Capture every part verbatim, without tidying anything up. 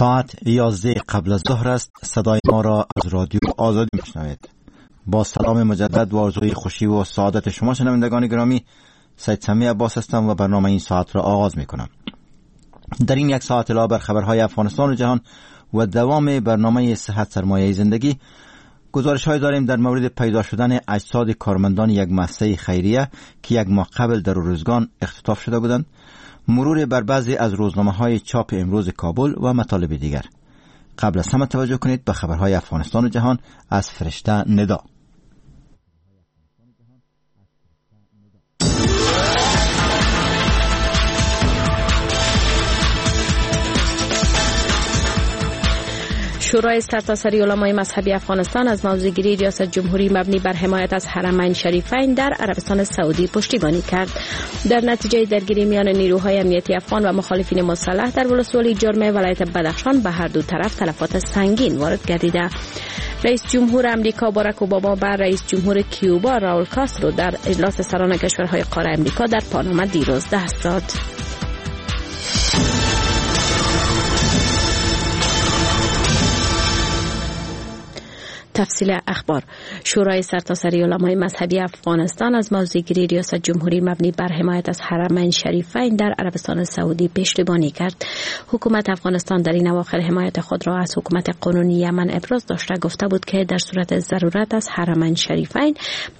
ساعت یازده قبل از ظهر است. صدای ما را از رادیو آزادی میشنوید. با سلام مجدد و آرزوی خوشی و سعادت شما شنوندگان گرامی، سید سمیع عباس هستم و برنامه این ساعت را آغاز میکنم. در این یک ساعت علاوه بر خبرهای افغانستان و جهان و دوام برنامه صحت سرمایه زندگی، گزارش های داریم در مورد پیدا شدن اجساد کارمندان یک مؤسسه خیریه که یک ماه قبل در روزگان اختطاف شده بودند، مرور بر بعضی از روزنامه‌های چاپ امروز کابل و مطالب دیگر. قبل از همه توجه کنید به خبرهای افغانستان و جهان از فرشته ندا. شورای سرتاسری علمای مذهبی افغانستان از موضع‌گیری ریاست جمهوری مبنی بر حمایت از حرمین شریفین در عربستان سعودی پشتیبانی کرد. در نتیجه درگیری میان نیروهای امنیتی افغان و مخالفین مسلح در ولسوالی جرم ولایت بدخشان به هر دو طرف تلفات سنگین وارد گردیده. رئیس جمهور امریکا باراک اوباما بر رئیس جمهور کیوبا راول کاسترو در اجلاس سران کشورهای قاره امریکا در پاناما دیروز دست داد. تفصیل اخبار. شورای سرتاسری علمای مذهبی افغانستان از موضع‌گیری ریاست جمهوری مبنی بر حمایت از حرمین شریفین در عربستان سعودی پشتیبانی کرد. حکومت افغانستان در این اواخر حمایت خود را از حکومت قانونی یمن ابراز داشته، گفته بود که در صورت ضرورت از حرمین شریفین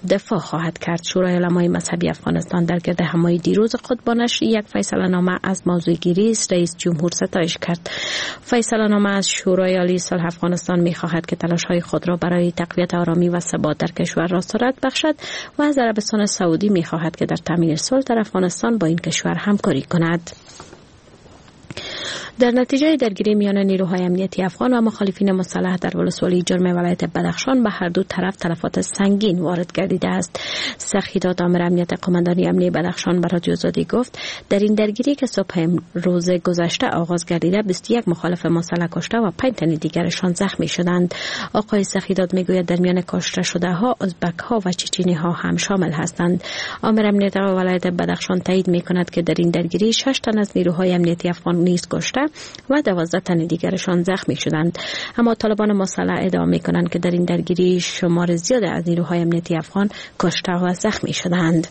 دفاع خواهد کرد. شورای علمای مذهبی افغانستان در گرد همایی دیروز خود با نشر یک فیصله نامه از موضع‌گیری رئیس جمهور ستایش کرد. فیصله نامه از شورای عالی صلح افغانستان می‌خواهد که تلاش‌های خود را برای تقویت آرامی و ثبات در کشور را سرعت بخشد و از عربستان سعودی می‌خواهد که در تامین صلح در افغانستان با این کشور همکاری کند. در نتیجه درگیری میان نیروهای امنیتی افغان و مخالفین مسلح در ولسوالی جرم ولایت بدخشان به هر دو طرف تلفات سنگین وارد گردیده است. سخیداد آمر امنیت قماندانی امنی بدخشان به رادیو آزادی گفت در این درگیری که صبح روز گذشته آغاز گردیده بیست و یک مخالف مسلح کشته و پنج تن دیگرشان زخمی شدند. آقای سخیداد میگوید در میان کشته شده ها ازبک ها و چچینی ها هم شامل هستند. آمر امنیت ولایت بدخشان تایید میکند که در این درگیری شش تن از نیروهای امنیتی افغان نیز کشته و دوازده تن دیگرشان زخمی شدند. اما طالبان مسلح ادعا میکنند که در این درگیری شمار زیاد از نیروهای امنیتی افغان کشته و زخمی شدند.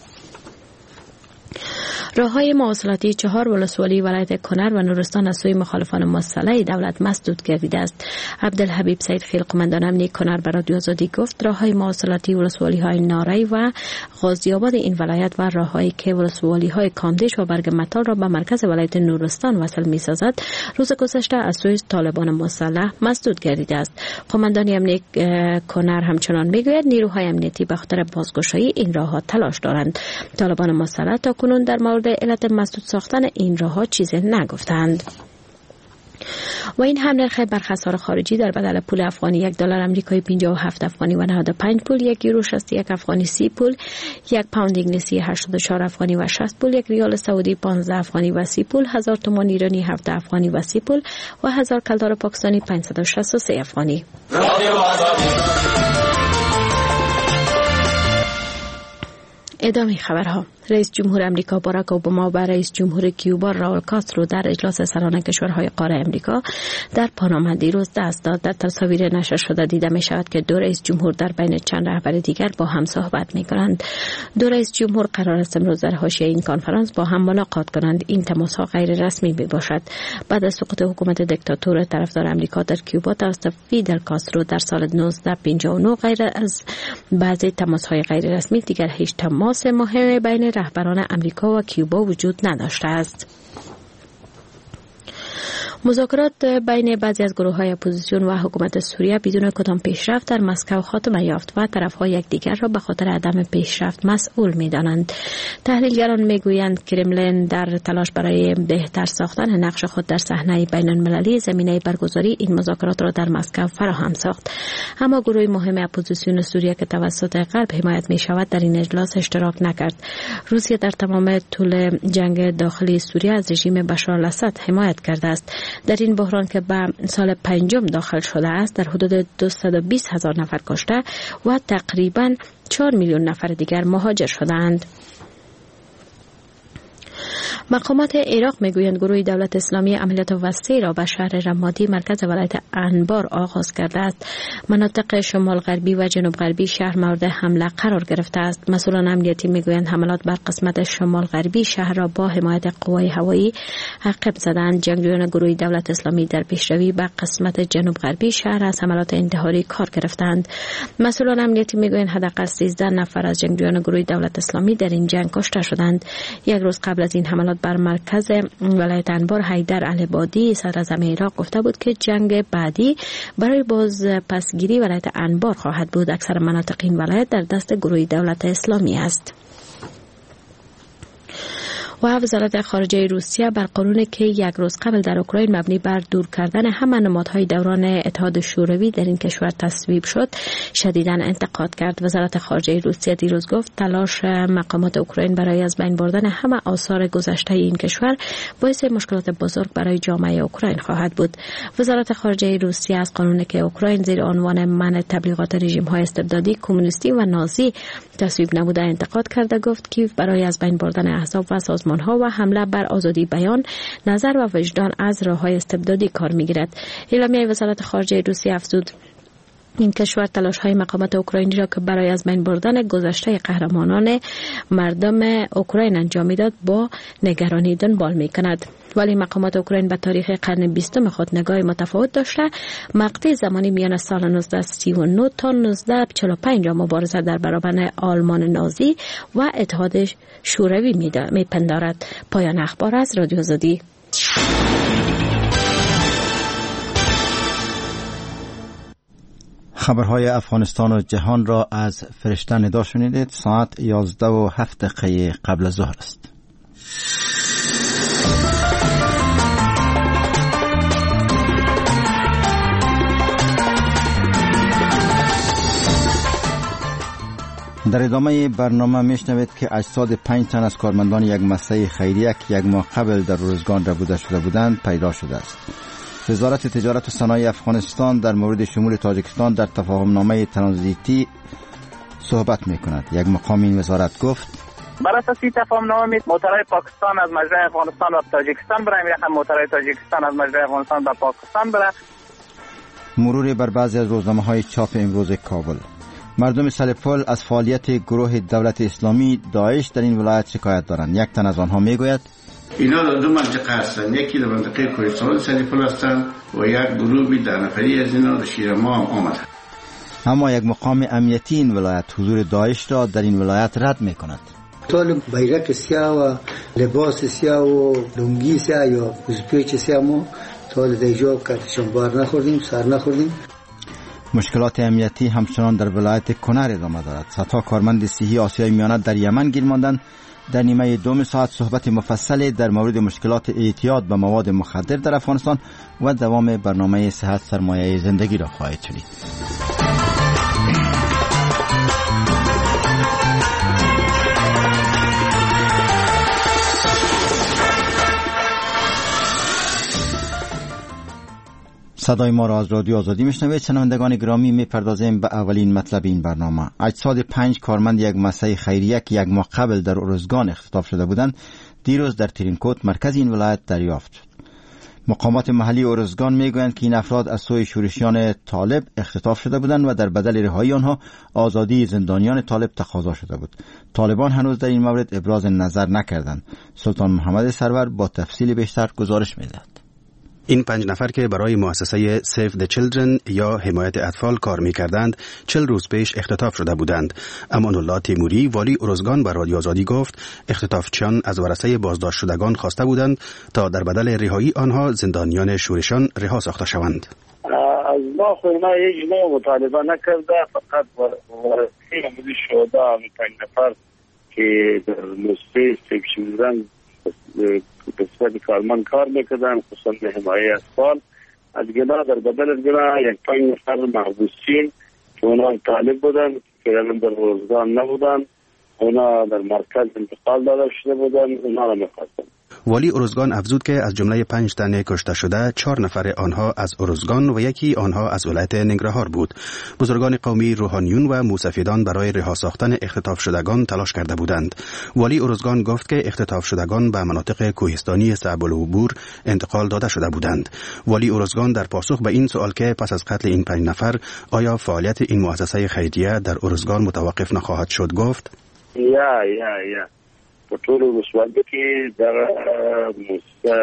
راه‌های مواصلاتی چهار ولسوالی ولایت کنر و نورستان از سوی مخالفان مسلح دولت مسدود گردیده است. عبدالحبیب سید خیل قماندان امنی کنر به رادیو آزادی گفت راه‌های مواصلاتی ولسوالی‌های ناری و غازی آباد این ولایت و راه‌هایی که ولسوالی‌های کامدیش و برگ متال را به مرکز ولایت نورستان وصل می‌سازد روز گذشته از سوی طالبان مسلح مسدود گردیده است. قماندان امنی کنر همچنان می‌گوید نیروهای امنیتی به خاطر بازگشایی این راه‌ها تلاش دارند. طالبان مسلح تاکنون در مورد علت مسدود ساختن این راه‌ها چیزی نگفتند. و این هم نرخ برخسار خارجی در بدل پول افغانی: یک دلار امریکایی پنجاه و هفت افغانی و نود و پنج پول، یک یورو شصت و یک افغانی سی پول، یک پوند انگلیسی هشتاد و چهار افغانی و شصت پول، یک ریال سعودی پانزده افغانی و سی پول، هزار تومان ایرانی هفت افغانی و سی پول و هزار کلدار پاکستانی پانصد و شصت و سه افغانی. ادامه خبرها. رئیس جمهور امریکا باراک اوباما و رئیس جمهور کیوبا راول کاسترو در اجلاس سران کشورهای قاره امریکا در پاناما دیروز دست داد. در تصاویر نشر شده دیده می شود که دو رئیس جمهور در بین چند رهبر دیگر با هم صحبت می کنند. دو رئیس جمهور قرار است امروز در حاشیه این کنفرانس با هم ملاقات کنند. این تماس ها غیر رسمی می باشد. بعد از سقوط حکومت دیکتاتور طرفدار امریکا در کیوبا توسط فیدل کاسترو در سال نوزده پنجاه و نه، غیر از بعضی تماس های غیر رسمی دیگر هیچ تماس مهم بین رهبران امریکا و کیوبا وجود نداشته است. مذاکرات بین بعضی از گروه‌های اپوزیسیون و حکومت سوریه بدون کدام پیشرفت در مسکو خاتمه یافت و طرف‌ها یکدیگر را به خاطر عدم پیشرفت مسئول می‌دانند. تحلیلگران می‌گویند کرملین در تلاش برای بهتر ساختن نقش خود در صحنه بین‌المللی زمینه برگزاری این مذاکرات را در مسکو فراهم ساخت. اما گروه مهم اپوزیسیون سوریه که توسط غرب حمایت می‌شود در این اجلاس اشتراک نکرد. روسیه در تمام طول جنگ داخلی سوریه از رژیم بشار الاسد حمایت کرده است. در این بحران که به سال پنجم داخل شده است در حدود دویست و بیست هزار نفر کشته و تقریباً چهار میلیون نفر دیگر مهاجر شدند. مقامات عراق میگویند گروه دولت اسلامی عملیات وسیع را به شهر رمادی مرکز ولایت انبار آغاز کرده است. مناطق شمال غربی و جنوب غربی شهر مورد حمله قرار گرفته است. مسئولان امنیتی میگویند حملات بر قسمت شمال غربی شهر را با حمایت قوای هوایی عقب زدند. جنگجویان گروه دولت اسلامی در پیشروی به قسمت جنوب غربی شهر از حملات انتحاری کار گرفتند. مسئولان امنیتی میگویند حداقل سیزده نفر از جنگجویان گروه دولت اسلامی در این جنگ کشته شدند. یک روز قبل از این حملات بر مرکز ولایت انبار، حیدر العبادی صدراعظم عراق گفته بود که جنگ بعدی برای باز پسگیری ولایت انبار خواهد بود. اکثر مناطق این ولایت در دست گروه دولت اسلامی است. و وزارت خارجه روسیه بر قانونی که یک روز قبل در اوکراین مبنی بر دور کردن همه نمادهای دوران اتحاد شوروی در این کشور تصویب شد شدیداً انتقاد کرد. وزارت خارجه روسیه دیروز گفت تلاش مقامات اوکراین برای از بین بردن همه آثار گذشته این کشور باعث مشکلات بزرگ برای جامعه اوکراین خواهد بود. وزارت خارجه روسیه از قانونی که اوکراین زیر عنوان منع تبلیغات رژیم‌های استبدادی کمونیستی و نازی تصویب نموده انتقاد کرده گفت کیف برای از بین بردن احزاب و سازمان ها و حمله بر آزادی بیان، نظر و وجدان از راه‌های استبدادی کار می‌گیرد. اعلامیه وزارت خارجه روسیه افزود این کشور تلاش‌های مقامات اوکراینی را که برای از بین بردن گذشته قهرمانان مردم اوکراین انجام می‌داد با نگرانی دنبال می‌کند. ولی مقامات اوکراین به تاریخ قرن بیستم خود نگاه متفاوت داشته، مقطع زمانی میان سال نوزده سی و نه تا نوزده چهل و پنج را مبارزه در برابر آلمان نازی و اتحاد شوروی میپندارد. پایان اخبار از رادیو آزادی. خبرهای افغانستان و جهان را از فرشته ندا شنیدید. ساعت یازده و هفت دقیقه قبل از ظهر است. در ادامه برنامه میشنوید که اجساد پنج تن از کارمندان یک مؤسسه خیریه که یک ماه قبل در روزگان ربوده شده بودند پیدا شده است. وزارت تجارت و صنایع افغانستان در مورد شمول تاجیکستان در تفاهمنامه ترانزیتی صحبت میکند. یک مقام این وزارت گفت بر اساس این تفاهمنامه موترهای پاکستان از مجرای افغانستان و تاجیکستان برای میرخم موترهای تاجیکستان از مجرای افغانستان به پاکستان بره. مرور بر بعضی از روزنامه‌های چاپ امروز کابل. مردم سرپل از فعالیت گروه دولت اسلامی داعش در این ولایت شکایت دارند. یک تن از آنها میگوید اینا در دو منطقه هستند، یکی در منطقه کوهستان سرپل هستند و یک گروهی در نفری از اینا در شیرما هم آمدند. اما یک مقام امنیتی این ولایت حضور داعش را در این ولایت رد میکند. طالب بیرق سیاه و لباس سیاه و لنگی سیاه یا پیچ سیاه ما طالب ایجاب کردشون بار نخوردیم، سر نخوردیم. مشکلات امنیتی همچنان در ولایت کنر ادامه دارد. صدها کارمند صحی آسیای میانه در یمن گیر ماندند. در نیمه دوم ساعت صحبت مفصل در مورد مشکلات اعتیاد به مواد مخدر در افغانستان و دوام برنامه صحت سرمایه زندگی را خواهید شنید. صدای ما را از رادیو آزادی میشنوید. شنوندگان گرامی، میپردازیم به اولین مطلب این برنامه. اجساد پنج کارمند یک مؤسسه خیریه که یک ماه قبل در ارزگان اختطاف شده بودند دیروز در ترینکوت مرکز این ولایت دریافت شد. مقامات محلی ارزگان میگویند که این افراد از سوی شورشیان طالب اختطاف شده بودند و در بدل رهایی آنها آزادی زندانیان طالب تقاضا شده بود. طالبان هنوز در این مورد ابراز نظر نکردند. سلطان محمد سرور با تفصیل بیشتر گزارش میدهد. این پنج نفر که برای مؤسسه Save the Children یا حمایت اطفال کار می‌کردند، چهل روز پیش اختطاف شده بودند. امان الله تیموری، والی ارزگان، به رادیو آزادی گفت اختطافچیان از ورثه بازداشت شدگان خواسته بودند تا در بدل رهایی آنها زندانیان شورشان رها ساخته شوند. از ما خو اینا هیچ نوع مطالبه نکرده، فقط ورثه شهدا پنج نفر که در مؤسسه Save Children به صفت کارمند کار میکردن، خصوصا به حمایه اطفال، از گناه در بدل از گناه یک پنج نفر محبوسین که اونا طالب بودن، که در روزگان نبودن، اونا در مرکز انتقال داده شده بودن، اونا را میخواستن. والی ارزگان افزود که از جمله پنج تن کشته شده چهار نفر آنها از ارزگان و یکی آنها از ولایت ننگرهار بود. بزرگان قومی، روحانیون و موسفیدان برای رها ساختن اختطاف شدگان تلاش کرده بودند. والی ارزگان گفت که اختطاف شدگان به مناطق کوهستانی صعب العبور انتقال داده شده بودند. والی ارزگان در پاسخ به این سوال که پس از قتل این پنج نفر آیا فعالیت این مؤسسه خیریه در ارزگان متوقف نخواهد شد، گفت: یا یا یا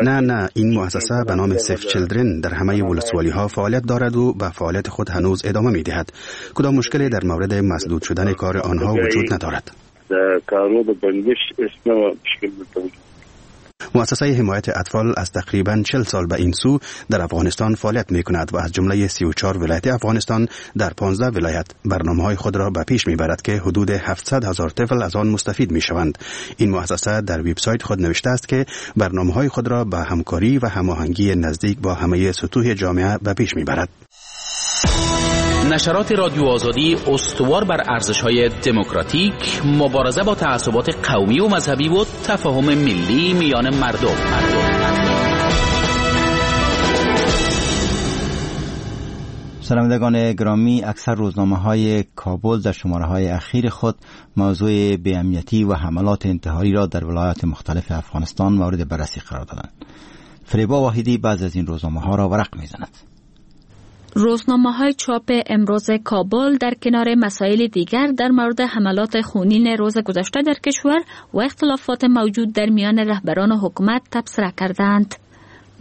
نه نه، این مؤسسه به نام Save Children در همه ولسوالی ها فعالیت دارد و به فعالیت خود هنوز ادامه می دهد. کدام مشکلی در مورد مسدود شدن کار آنها وجود ندارد. مؤسسه حمایت اطفال از تقریباً چهل سال به این سو در افغانستان فعالیت می کند و از جمله سی و چهار ولایت افغانستان در پانزده ولایت برنامه‌های خود را به پیش می برد که حدود هفتصد هزار طفل از آن مستفید می شوند. این مؤسسه در وبسایت خود نوشته است که برنامه‌های خود را به همکاری و هماهنگی نزدیک با همه سطوح جامعه به پیش می برد. نشرات رادیو آزادی استوار بر ارزش‌های دموکراتیک، مبارزه با تعصبات قومی و مذهبی و تفاهم ملی میان مردم. شنوندگان گرامی، اکثر روزنامه‌های کابل در شماره‌های اخیر خود موضوع بی‌امنیتی و حملات انتحاری را در ولایات مختلف افغانستان مورد بررسی قرار دادند. فریبا واحدی بعض از این روزنامه‌ها را ورق می‌زند. روزنامه‌های چاپ امروز کابل در کنار مسائل دیگر در مورد حملات خونین روز گذشته در کشور و اختلافات موجود در میان رهبران حکومت تبصره کردند.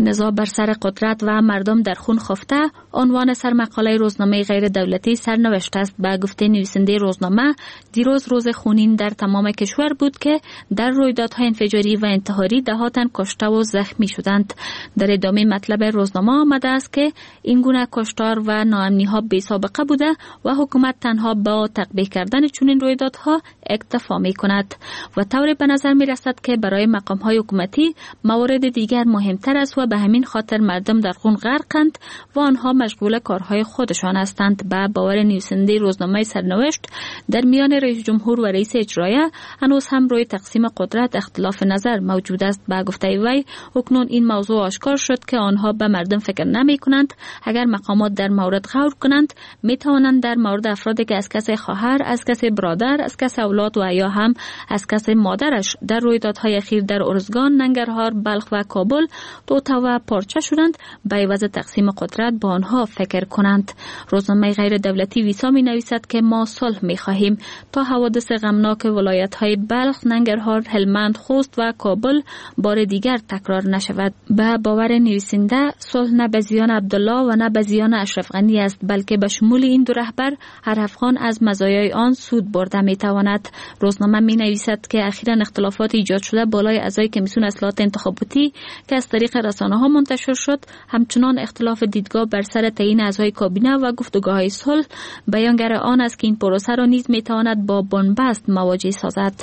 نزاع بر سر قدرت و مردم در خون خفته عنوان سرمقاله روزنامه غیر دولتی سرنوشت است. به گفته نویسنده روزنامه، دیروز روز خونین در تمام کشور بود که در رویدادهای انفجاری و انتحاری ده تن کشته و زخمی شدند. در ادامه مطلب روزنامه آمده است که این گونه کشتار و ناامنی ها بی سابقه بوده و حکومت تنها با تقبیح کردن چنین رویدادها اکتفا می کند و طوری به نظر می رسد که برای مقام های حکومتی موارد دیگر مهمتر است و به همین خاطر مردم در خون غرقند و آنها مشغول کارهای خودشان هستند. به باور نویسنده روزنامه سرنوشت، در میان رئیس جمهور و رئیس اجرایه هنوز هم روی تقسیم قدرت اختلاف نظر موجود است. به گفته وی، اکنون این موضوع آشکار شد که آنها به مردم فکر نمی کنند. اگر مقامات در مورد غور کنند، می توانند در مورد افرادی که از کس خواهر، از کس برادر، از کس اولاد و یا هم از کس مادرش در رویدادهای اخیر در ارزگان، ننگرهار، بلخ و کابل توته و پارچه شدند، به عوض تقسیم قدرت با آنها فکر کنند. روزنامه غیر دولتی ویسا می نویسد که ما صلح می خواهیم تا حوادث غمناک ولایت های بلخ، ننگرهار، هلمند، خوست و کابل بار دیگر تکرار نشود. به باور نویسنده، صلح نه به زیان عبدالله و نه به زیان اشرف غنی است، بلکه به شمول این دو رهبر هر افغان از مزایای آن سود برده می تواند. روزنامه می نویسد که اخیرا اختلافات ایجاد شده بالای اعضای کمیسیون اصلاحات انتخاباتی که از طریق رسانه ها منتشر شد، همچنان اختلاف دیدگاه بر سر تعیین اعضای کابینه و گفتگوهای صلح بیانگر آن است که این پروسه را نیز می تواند با بنبست مواجه سازد.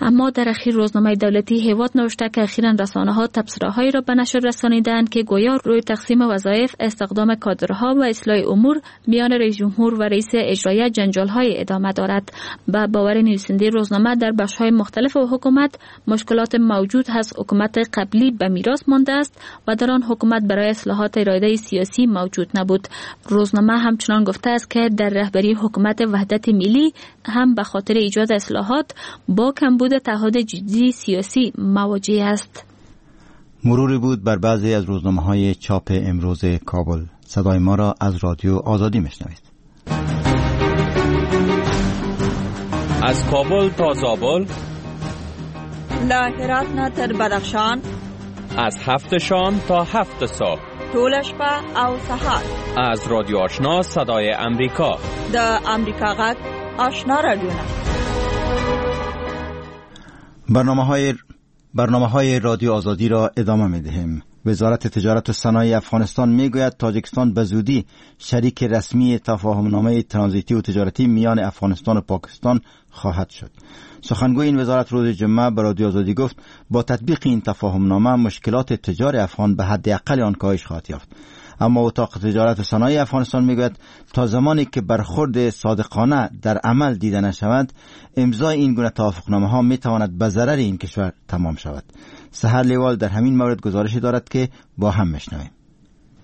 اما در اخیر روزنامه دولتی هیواد نوشته که اخیراً رسانه‌ها تبصره‌هایی را به نشر رسانیدند که گویا روی تقسیم وظایف، استخدام کادرها و اصلاح امور میان رئیس جمهور و رئیس اجرایه جنجال‌های ادامه دارد. به باور نویسنده روزنامه، در بخش‌های مختلف حکومت مشکلات موجود از حکومت قبلی به میراث مانده است و در آن حکومت برای اصلاحات اراده سیاسی موجود نبود. روزنامه همچنان گفته است که در رهبری حکومت وحدت ملی هم به خاطر ایجاد اصلاحات با کمبود تعهد جدی سیاسی مواجه است. مروری بود بر بعضی از روزنامه‌های چاپ امروز کابل. صدای ما را از رادیو آزادی میشنوید. از کابل تا زابل، له هرات نه تر بدخشان، از هفت شام تا هفت صبح، ټوله شپه او سهار، از رادیو آشنا صدای امریکا، د امریکا غږ آشنا رادیو. برنامه های برنامه های رادیو آزادی را ادامه می دهیم. وزارت تجارت و صنایع افغانستان می گوید تاجیکستان به زودی شریک رسمی تفاهمنامه ترانزیتی و تجارتی میان افغانستان و پاکستان خواهد شد. سخنگوی این وزارت روز جمعه به رادیو آزادی گفت با تطبیق این تفاهمنامه مشکلات تجار افغان به حد اقل آن کاهش خواهد یافت. اما اتاق تجارت و صنایع افغانستان میگوید تا زمانی که برخورد صادقانه در عمل دیده نشود، امضای این گونه توافقنامه ها میتواند به ضرر این کشور تمام شود. سحر لیوال در همین مورد گزارشی دارد که با هم میشنویم.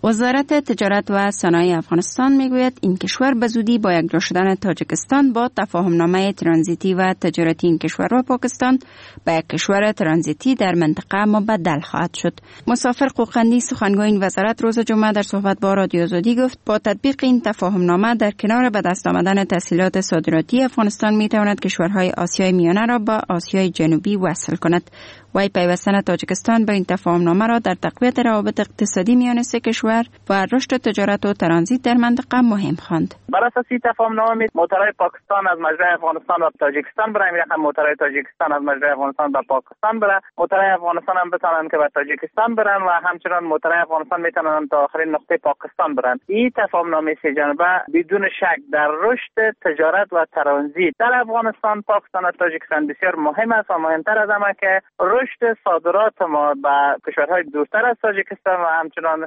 وزارت تجارت و صنایع افغانستان میگوید این کشور به زودی با یکجا شدن تاجیکستان با تفاهمنامه ترانزیتی و تجارتی این کشور و پاکستان به یک کشور ترانزیتی در منطقه مبدل خواهد شد. مسافر قوقندی سخنگوی این وزارت روز جمعه در صحبت با رادیو آزادی گفت با تطبیق این تفاهمنامه در کنار به دست آمدن تسهیلات صادراتی افغانستان میتواند کشورهای آسیای میانه را با آسیای جنوبی وصل کند. وی پیوستن تاجیکستان به این تفاهمنامه را در تقویت روابط اقتصادی میان سه کشور و رشد تجارت و ترانزیت در منطقه مهم خواند. بر اساس این تفاهمنامه موترهای پاکستان از مجرای افغانستان و تاجیکستان برای میرن، موترهای تاجیکستان از مجرای افغانستان به پاکستان برن، موترهای افغانستان هم بتونن که به تاجیکستان برن و همچنان موترهای افغانستان میتونن تا آخرین نقطه پاکستان برن. این تفاهمنامه سه جانبه بدون شک در رشد تجارت و ترانزیت در افغانستان، پاکستان و تاجیکستان بسیار مهم است و مهمتر از همه که رشد صادرات ما به کشورهای دورتر از تاجیکستان و همچنان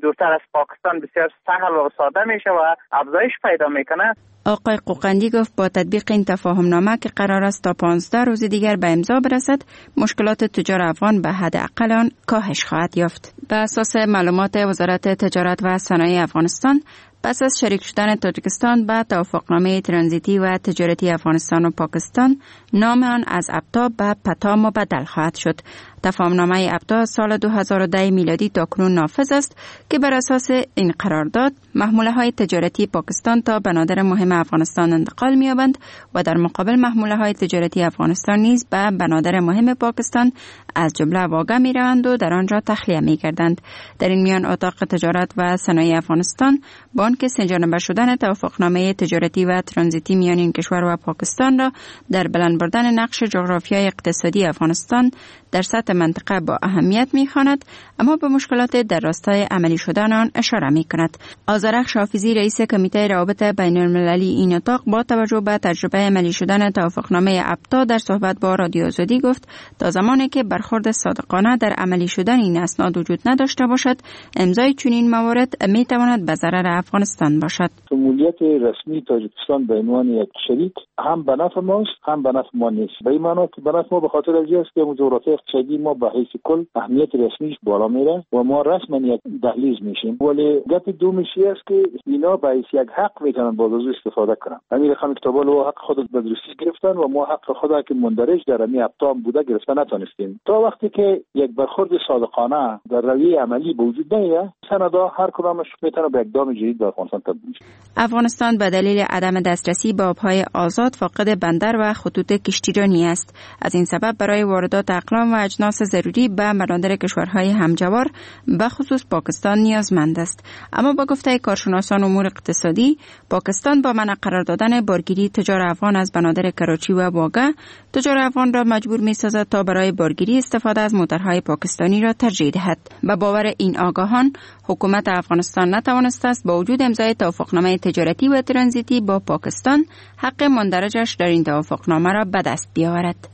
دورتر از پاکستان بسیار سهل و ساده میشه و افزایش پیدا میکنه. آقای قوقندی گفت با تطبیق این تفاهمنامه که قرار است تا پانزده روز دیگر به امضا برسد، مشکلات تجار افغان به حد اقل آن کاهش خواهد یافت. به اساس معلومات وزارت تجارت و صنایع افغانستان، پس از شریک شدن تاجیکستان به توافقنامه ترانزیتی و تجارتی افغانستان و پاکستان، نام آن از ابتا به پتا مبدل خواهد شد. تفاهمنامه ابتا سال دو هزار و ده میلادی تا کنون نافذ است که بر اساس این قرارداد محموله های تجارتی پاکستان تا بنادر مهم افغانستان انتقال می‌یابند و در مقابل محموله های تجارتی افغانستان نیز به بنادر مهم پاکستان از جمله واگه می‌روند و در آنجا تخلیه می‌گردند. در این میان اتاق تجارت و صنایع افغانستان بانک سه شدن توافقنامه تجارتی و ترانزیتی میان این کشور و پاکستان را در بلند بردن نقش جغرافیای اقتصادی افغانستان در سطح منطقه با اهمیت می‌خواند، اما به مشکلات در راستای عملی شدن آن اشاره می‌کند. آذرخش حافظی رئیس کمیته روابط بین المللی این اتاق با توجه به تجربه عملی شدن توافقنامه ابتا در صحبت با رادیو آزادی گفت تا زمانی که برخورد صادقانه در عملی شدن این اسناد وجود نداشته باشد، امضای چنین موارد می‌تواند به ضرر افغانستان باشد. شمولیت رسمی تاجیکستان به عنوان یک شریک هم به نفع ماست هم به نفع ما نیست. به این معنا که به نفع ما به خاطر از این است که جغرافیای اقتصادی ما به حیث کل اهمیت رسمیش بالا میره و ما رسما یک دهلیز میشیم. ولی گپ دومش است که اینا به حیث یک حق میتونن باز از استفاده کنن. همین رقم کتابال و حق خود به درستی گرفتن و ما حق خود که مندرج در امی ابتا بوده گرفته نتونستیم. تا وقتی که یک برخورد صادقانه در رویه عملی به وجود نیاد، سندا هر کدامش میتونه به اقدام جدید در افغانستان تبدیل شه. افغانستان به دلیل عدم دسترسی به آبهای آزاد فاقد بندر و خطوط کشتیرانی است. از این سبب برای واردات اقلام و اجناس ضروری به بنادر کشورهای همجوار به خصوص پاکستان نیازمند است. اما با گفته کارشناسان امور اقتصادی، پاکستان با منع قرار دادن بارگیری تجار افغان از بنادر کراچی و واگه، تجار افغان را مجبور می‌سازد تا برای بارگیری استفاده از موترهای پاکستانی را ترجیح دهد. به باور این آگاهان، حکومت افغانستان نتوانسته است با وجود امضای توافقنامه تجارتی و ترانزیتی با پاکستان حق مندرجش در این توافقنامه را به دست بیاورد.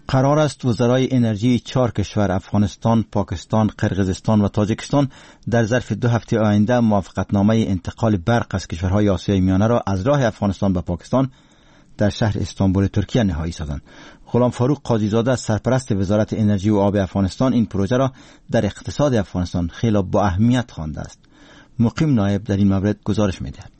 قرار است وزرای انرژی چهار کشور افغانستان، پاکستان، قرقیزستان و تاجیکستان در ظرف دو هفته آینده موافقتنامه انتقال برق از کشورهای آسیای میانه را از راه افغانستان به پاکستان در شهر استانبول ترکیه نهایی سازند. غلام فاروق قاضی‌زاده سرپرست وزارت انرژی و آب افغانستان این پروژه را در اقتصاد افغانستان خیلی با اهمیت خوانده است. مقیم نایب در این مورد گزارش می‌دهد.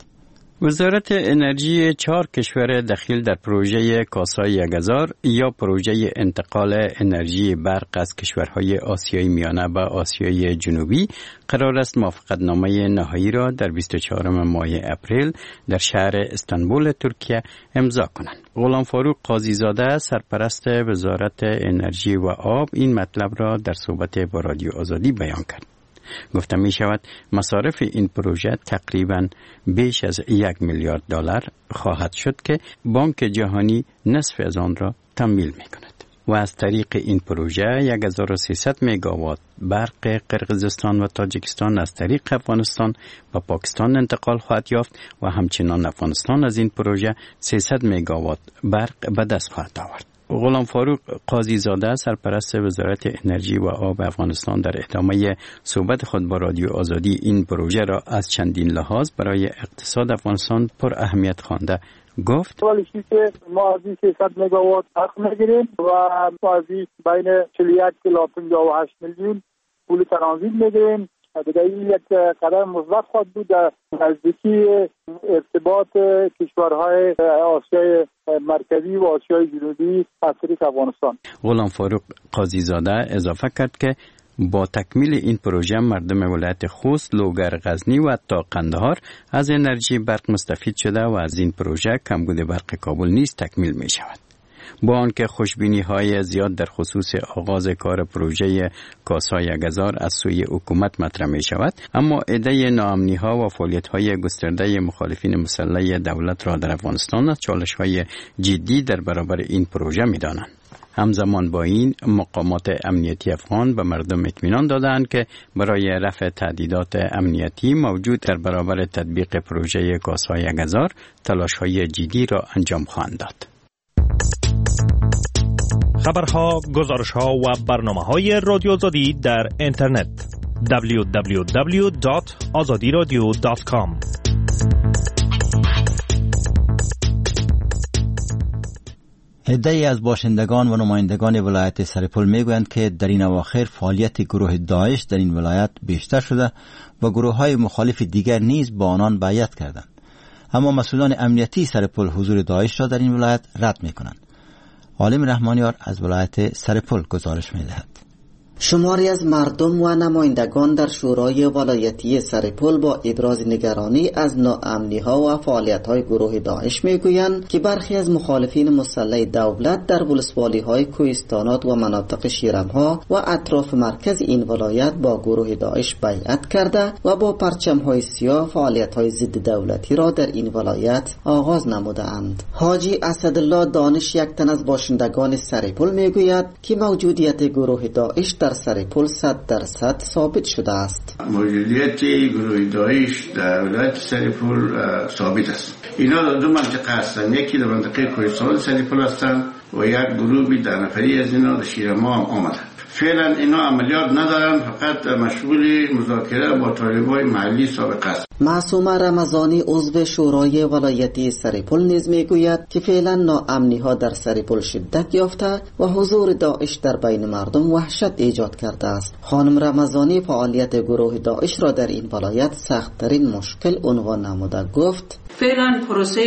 وزارت انرژی چهار کشور دخیل در پروژه کاسای یک هزار یا پروژه انتقال انرژی برق از کشورهای آسیای میانه به آسیای جنوبی قرار است موافقتنامه نهایی را در بیست و چهارم ماه اپریل در شهر استانبول ترکیه امضا کنند. غلام فاروق قاضی‌زاده سرپرست وزارت انرژی و آب این مطلب را در صحبت با رادیو آزادی بیان کرد. گفته می شود مصارف این پروژه تقریباً بیش از یک میلیارد دلار خواهد شد که بانک جهانی نصف از آن را تمویل می کند و از طریق این پروژه هزار و سیصد مگاوات برق قرقیزستان و تاجیکستان از طریق افغانستان به پاکستان انتقال خواهد یافت و همچنان افغانستان از این پروژه سیصد مگاوات برق به دست خواهد آورد. غلام فاروق قاضی زاده، سرپرست وزارت انرژی و آب افغانستان، در ادامه صحبت خود با رادیو آزادی این پروژه را از چندین لحاظ برای اقتصاد افغانستان پر اهمیت خوانده گفت: اولی که ما از این سیصد مگاوات برق میگیریم و از این بین چهل و یک الی پنجاه و هشت میلیون پول ترانزیت میگیریم. دیگه این یک قدم مثبت خواهد بود در نزدیکی ارتباط کشورهای آسیای مرکزی و آسیای جنوبی از طریق افغانستان. غلام فاروق قاضی زاده اضافه کرد که با تکمیل این پروژه مردم ولایت خوست، لوگر، غزنی و تا قندهار از انرژی برق مستفید شده و از این پروژه کمبود برق کابل نیز تکمیل می شود. با آنکه خوشبینی های زیاد در خصوص آغاز کار پروژه کاسای گزار از سوی حکومت مطرح می شود، اما عده ناامنی ها و فعالیت های گسترده مخالفین مسلح دولت را در افغانستان از چالش های جدی در برابر این پروژه می دانند. همزمان با این، مقامات امنیتی افغان به مردم اطمینان دادند که برای رفع تهدیدات امنیتی موجود در برابر تطبیق پروژه کاسای گزار تلاش های جدی را انجام خواهند داد. خبرها، گزارشها و برنامه های رادیو آزادی در اینترنت: دبلیو دبلیو دبلیو دات آزادی رادیو دات کام. عده‌ای از باشندگان و نمایندگان ولایت سرپل میگویند که در این اواخر فعالیت گروه داعش در این ولایت بیشتر شده و گروه‌های مخالف دیگر نیز با آنان بیعت کردند. اما مسئولان امنیتی سرپل حضور داعش را در این ولایت رد میکنند. عالم رحمانیار از ولایت سرپل گزارش می‌دهد. شماری از مردم و نمایندگان در شورای ولایتی سرپل با ابراز نگرانی از ناامنی‌ها و فعالیت‌های گروه داعش می‌گویند که برخی از مخالفین مسلح دولت در ولسوالی‌های کوهستانات و مناطق شیرم‌ها و اطراف مرکز این ولایت با گروه داعش بیعت کرده و با پرچم‌های سیاه فعالیت‌های ضد دولتی را در این ولایت آغاز نموده‌اند. حاجی اسدالله دانش، یک تن از باشندگان سرپل، می‌گوید که موجودیت گروه داعش در سرپل صد درصد ثابت شده است. موجودیت گروه داعش در ولایت سرپل ثابت است. اینا در دو منطقه هستند، یکی در منطقه کوهستان سرپل هستند و یک گروه ده نفری از اینا در شیرما هم آمدند. فعلا اینا عملیات ندارن، فقط مشغول مذاکره با طالبای محلی سابق است. معصومه رمضانی، عضو شورای ولایتی سرپل، نیز میگوید که فعلا ناامنی ها در سرپل شدت یافته و حضور داعش در بین مردم وحشت ایجاد کرده است. خانم رمضانی فعالیت گروه داعش را در این ولایت سخت‌ترین مشکل عنوان نموده گفت: فعلا پروسه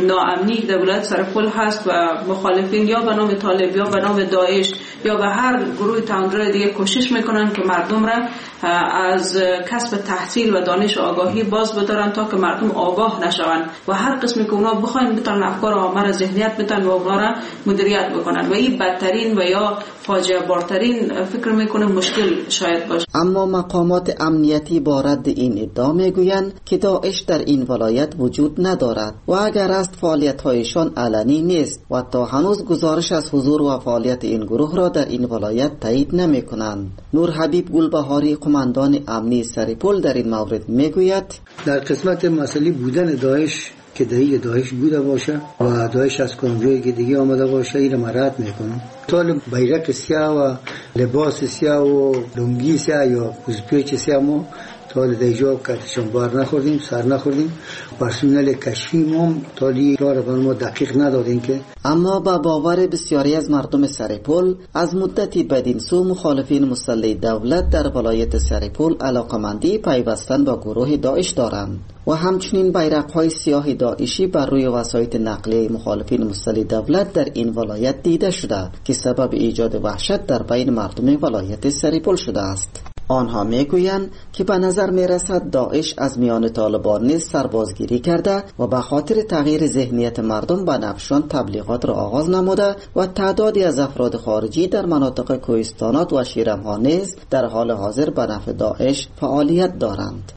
ناامنی در ولایت سرپل هست و مخالفین یا به نام طالب یا به نام داعش یا به هر گروه تندرو دیگه کوشش میکنن که مردم را از کسب تحصیل و دانش آگاهی باز بدارن تا که مردم آگاه نشوند و هر قسمی که اونا بخواین بتونن افکار عامه را ذهنیت بتن و اونا را مدیریت بکنن و این بدترین و یا فاجعه بارترین فکر میکنه مشکل شاید باشه. اما مقامات امنیتی با رد این ادعا میگویند که داعش در این ولایت وجود ندارد و اگر است فعالیت‌هایشان علنی نیست و تا هنوز گزارش از حضور و فعالیت این گروه را در این ولایت تایید نمی‌کنند. نور حبیب گلبهاری، قماندان امنی سرپل، در این مورد میگوید: در قسمت مسئله بودن داعش که دهی داعش بوده باشه و داعش از کدام که دیگه آمده باشه، این را رد میکنم. طالب بیرق سیاه و لباس سیاه و لنگی سیاه یا پیچ سیاه ما تا دیجا کتشان بار نخوردیم، سر نخوردیم. پرسنل کشفی ما تا را بر ما دقیق ندادیم که. اما با باور بسیاری از مردم سرپل، از مدتی بدین سو مخالفین مسلح دولت در ولایت سرپل علاقمندی پیوستن با گروه داعش دارند و همچنین بیرق‌های سیاه داعشی بر روی وسایط نقلیه مخالفین مسلح دولت در این ولایت دیده شده که سبب ایجاد وحشت در بین مردم ولایت سرپل شده است. آنها میگویند که به نظر میرسد داعش از میان طالبان نیز سربازگیری کرده و به خاطر تغییر ذهنیت مردم به نفعشان تبلیغات را آغاز نموده و تعدادی از افراد خارجی در مناطق کوهستانات و شیرمها نیز در حال حاضر به نفع داعش فعالیت دارند.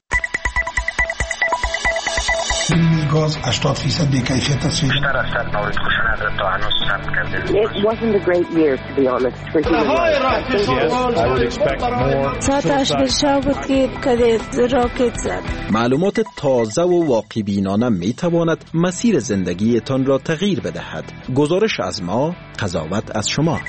گاز هشتاد درصد بی‌کیفیت است. بیشتر از صد مورد خشونت تا هنوز ثبت کرده. It wasn't a great year to be honest for human rights. ساعت هشت شب بود که کدید راکت زد. معلومات تازه و واقع بینانه می تواند مسیر زندگیتان را تغییر بدهد. گزارش از ما، قضاوت از شما.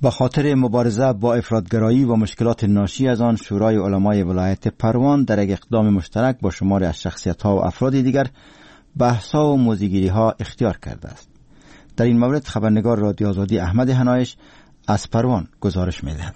به خاطر مبارزه با افراط‌گرایی و مشکلات ناشی از آن، شورای علمای ولایت پروان در یک اقدام مشترک با شماری از شخصیت‌ها و افراد دیگر بحث‌ها و موضوع‌گیری‌ها اختیار کرده است. در این مورد خبرنگار رادیو آزادی احمد هنایش از پروان گزارش می‌دهد.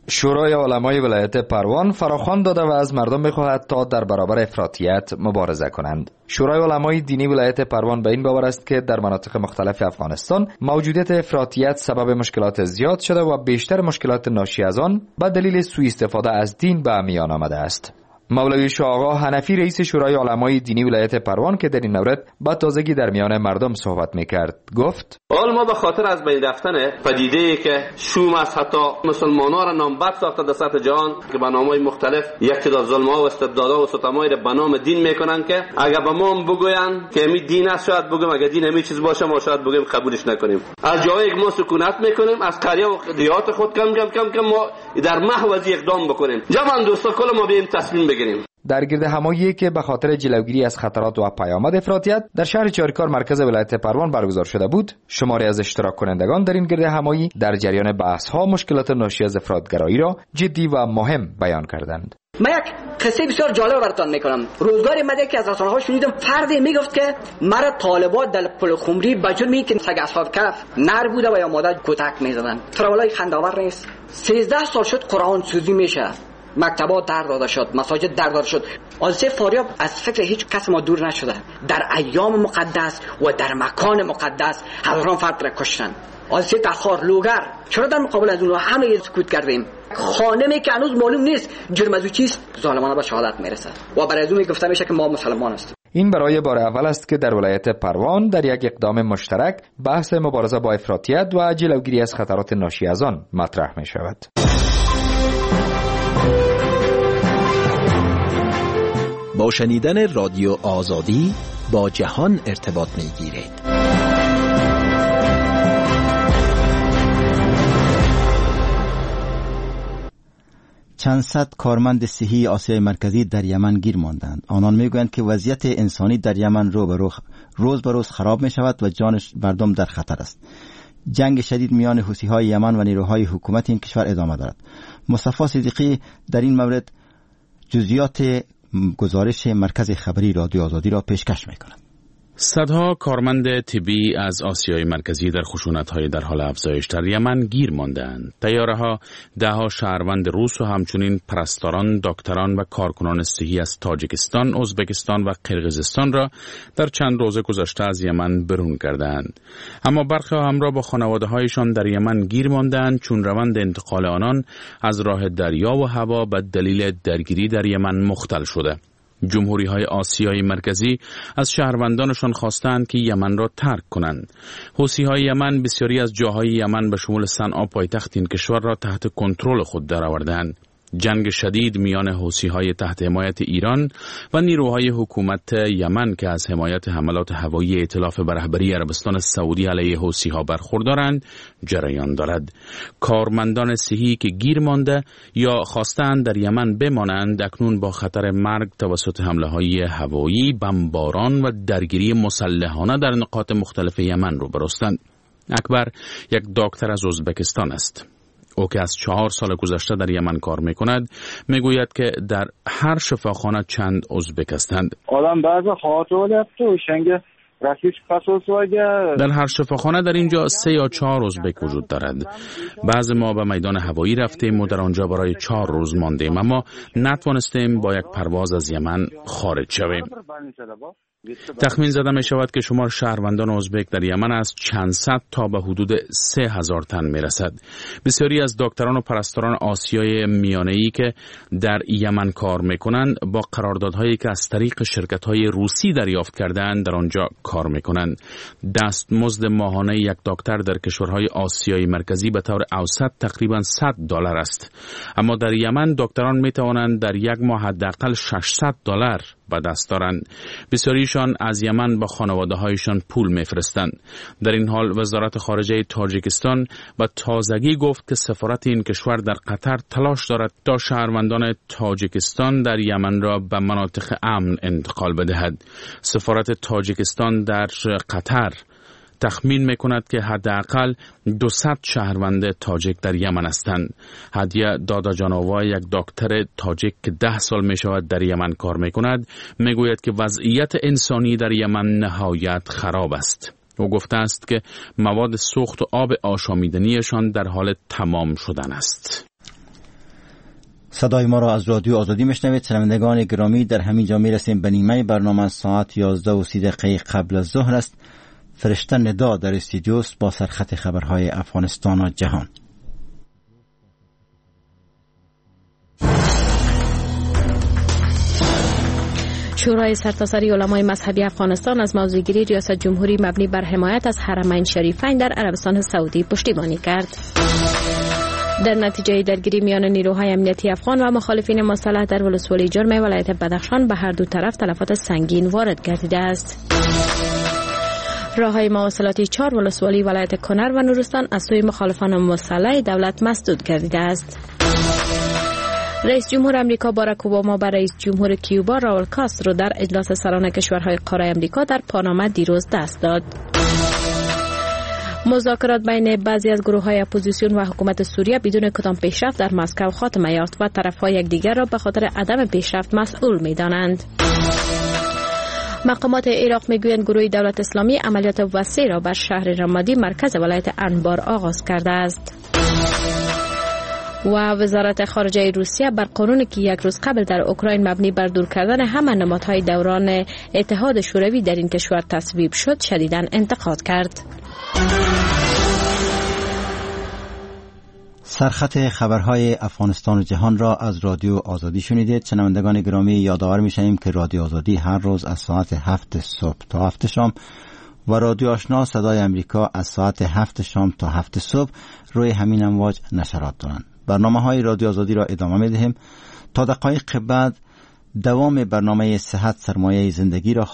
شورای علمای ولایت پروان فراخوان داده و از مردم می‌خواهد تا در برابر افراطیت مبارزه کنند. شورای علمای دینی ولایت پروان به این باور است که در مناطق مختلف افغانستان موجودیت افراطیت سبب مشکلات زیاد شده و بیشتر مشکلات ناشی از آن به دلیل سوء استفاده از دین به میان آمده است. مولوی شاه حنفی رئیس شورای علمای دینی ولایت پروان که در این مورد با تازگی در میان مردم صحبت میکرد گفت: حال ما به خاطر از بین رفتن پدیده ای که شوم است، حتی مسلمان‌ها را نامبد ساخته در سطح جهان که به نام‌های مختلف یک تعداد ظلم‌ها و استبدادها و ستم‌هایی را به نام دین میکنن که اگر به ما هم بگوین که می دین است شاید بگیم، اگر دین همین چیز باشه ما شاید بگیم قبولش نکنیم. از جایی که ما سکونت میکنیم، از قریه و دیهات خود کم کم کم کم ما در محو از اقدام بکنیم. جوان دوستا کل ما بیایم تصمیم بگیریم. در گرد همایی که به خاطر جلوگیری از خطرات و پیامد افراطیت در شهر چاریکار مرکز ولایت پروان برگزار شده بود، شماری از اشتراک کنندگان در این گرد همایی در جریان بحث ها مشکلات ناشی از افراط‌گرایی را جدی و مهم بیان کردند. من یک قصه بسیار جالب براتون میکنم. روزگاری من یکی از رسانه‌ها شنیدم فردی میگفت که مرا طالبان در پل خمری به جرمی که سگ اصحاب کهف نر بوده و یا ماده کتک میزدن. ترولای خنده‌آور نیست. سیزده سال شد قرآن سوزی میشه، مکتبات در داده شد، مساجد در داده شد. حادثه فاریاب از فکر هیچ کس ما دور نشده. در ایام مقدس و در مکان مقدس هزاران فرد را کشتن. حادثه تخار، لوگر، چرا در مقابل از اونها همه سکوت کردیم؟ خانمی که هنوز معلوم نیست جرم از او چیست، ظالمانه به شهادت میرسه و برای از اون گفته میشه که ما مسلمان هستیم. این برای بار اول است که در ولایت پروان در یک اقدام مشترک بحث مبارزه با افراطیت و جلوگیری از خطرات ناشی از آن مطرح می شود. با شنیدن رادیو آزادی با جهان ارتباط میگیرید. چند صد کارمند صحی آسیای مرکزی در یمن گیر ماندند. آنان میگویند که وضعیت انسانی در یمن رو به رو روز به روز خراب می شود و جان مردم در خطر است. جنگ شدید میان حوثی‌های یمن و نیروهای حکومت این کشور ادامه دارد. مصطفی صدیقی در این مورد جزئیات گزارش مرکز خبری رادیو آزادی را پیشکش می‌کند. صدها کارمند طبی از آسیای مرکزی در خشونت‌های در حال افزایش در یمن گیر ماندند. طیاره‌ها ده‌ها شهروند روس و همچنین پرستاران، دکتران و کارکنان صحی از تاجیکستان، ازبکستان و قرقیزستان را در چند روز گذشته از یمن برون کردند. اما برخی همراه با خانواده‌هایشان در یمن گیر ماندند، چون روند انتقال آنان از راه دریا و هوا به دلیل درگیری در یمن مختل شده. جمهوری های آسیای مرکزی از شهروندانشان خواستند که یمن را ترک کنند. حوثی های یمن بسیاری از جاهای یمن به شمول صنعا پایتخت این کشور را تحت کنترل خود درآوردند. جنگ شدید میان حوثی‌های تحت حمایت ایران و نیروهای حکومت یمن که از حمایت حملات هوایی ائتلاف به رهبری عربستان سعودی علیه حوثی‌ها برخوردارند جریان دارد. کارمندان صحی که گیر مانده یا خواستند در یمن بمانند اکنون با خطر مرگ توسط حمله‌های هوایی، بمباران و درگیری مسلحانه در نقاط مختلف یمن روبروستند. اکبر یک دکتر از ازبکستان است. او که از چهار سال گذشته در یمن کار میکند میگوید که در هر شفاخانه چند ازبک هستند. در هر شفاخانه در اینجا سه یا چهار ازبک وجود دارد. بعض ما به میدان هوایی رفتیم و در آنجا برای چهار روز ماندیم، اما نتوانستیم با یک پرواز از یمن خارج شویم. تخمین زده می شود که شمار شهروندان ازبک در یمن از چند صد تا به حدود سه هزار تن می رسد. بسیاری از دکتران و پرستاران آسیای میانه‌ای که در یمن کار می کنند با قراردادهایی که از طریق شرکت‌های روسی دریافت کردند در آنجا کار می کنند. دستمزد ماهانه یک دکتر در کشورهای آسیای مرکزی به طور اوسط تقریباً صد دلار است، اما در یمن دکتران می توانند در یک ماه حداقل ششصد دلار به دست دارند. بسیاریشان از یمن با خانواده هایشان پول میفرستند. در این حال وزارت خارجه تاجیکستان به تازگی گفت که سفارت این کشور در قطر تلاش دارد تا شهروندان تاجیکستان در یمن را به مناطق امن انتقال بدهد. سفارت تاجیکستان در قطر تخمین میکند که حداقل دویست شهروند تاجیک در یمن هستند. هدیه داداجانووا، یک دکتر تاجیک که ده سال می شود در یمن کار میکند، میگوید که وضعیت انسانی در یمن نهایت خراب است. او گفته است که مواد سوخت و آب آشامیدنیشان در حال تمام شدن است. صدای ما را از رادیو آزادی میشنوید. شنوندگان گرامی، در همین جا میرسیم به نیمه برنامه. ساعت یازده و سی دقیقه قبل از ظهر است. فرشته ندا در استودیوست با سرخط خبرهای افغانستان و جهان. شورای سرتاسری علمای مذهبی افغانستان از موضوعگیری ریاست جمهوری مبنی بر حمایت از حرمین شریفین در عربستان سعودی پشتیبانی کرد. در نتیجه درگیری میان نیروهای امنیتی افغان و مخالفین مسلح در ولسوالی جرم ولایت بدخشان به هر دو طرف تلفات سنگین وارد گردیده است. راه‌های مواصلاتی چهار ولسوالی ولایت کنر و نورستان از سوی مخالفان مسلح دولت مسدود گردیده است. رئیس جمهور امریکا باراک اوباما به رئیس جمهور کیوبا راول کاسترو در اجلاس سران کشورهای قاره امریکا در پاناما دیروز دست داد. مذاکرات بین بعضی از گروه‌های اپوزیسیون و حکومت سوریه بدون کدام پیشرفت در مسکو خاتمه یافت و طرف‌های یکدیگر را به خاطر عدم پیشرفت مسئول می‌دانند. مقامات عراق میگویند گروه دولت اسلامی عملیات وسیع را بر شهر رمادی مرکز ولایت انبار آغاز کرده است. و وزارت خارجه روسیه بر قانونی که یک روز قبل در اوکراین مبنی بر دور کردن همه نمادهای دوران اتحاد شوروی در این کشور تصویب شد شدیداً انتقاد کرد. سرخط خبرهای افغانستان و جهان را از رادیو آزادی شنیدید. شنوندگان گرامی، یادآور می‌شویم که رادیو آزادی هر روز از ساعت هفت صبح تا هفت شام و رادیو آشنا صدای امریکا از ساعت هفت شام تا هفت صبح روی همین امواج نشرات دارند. برنامه‌های رادیو آزادی را ادامه می‌دهیم تا دقایق بعد دوام برنامه صحت سرمایه زندگی را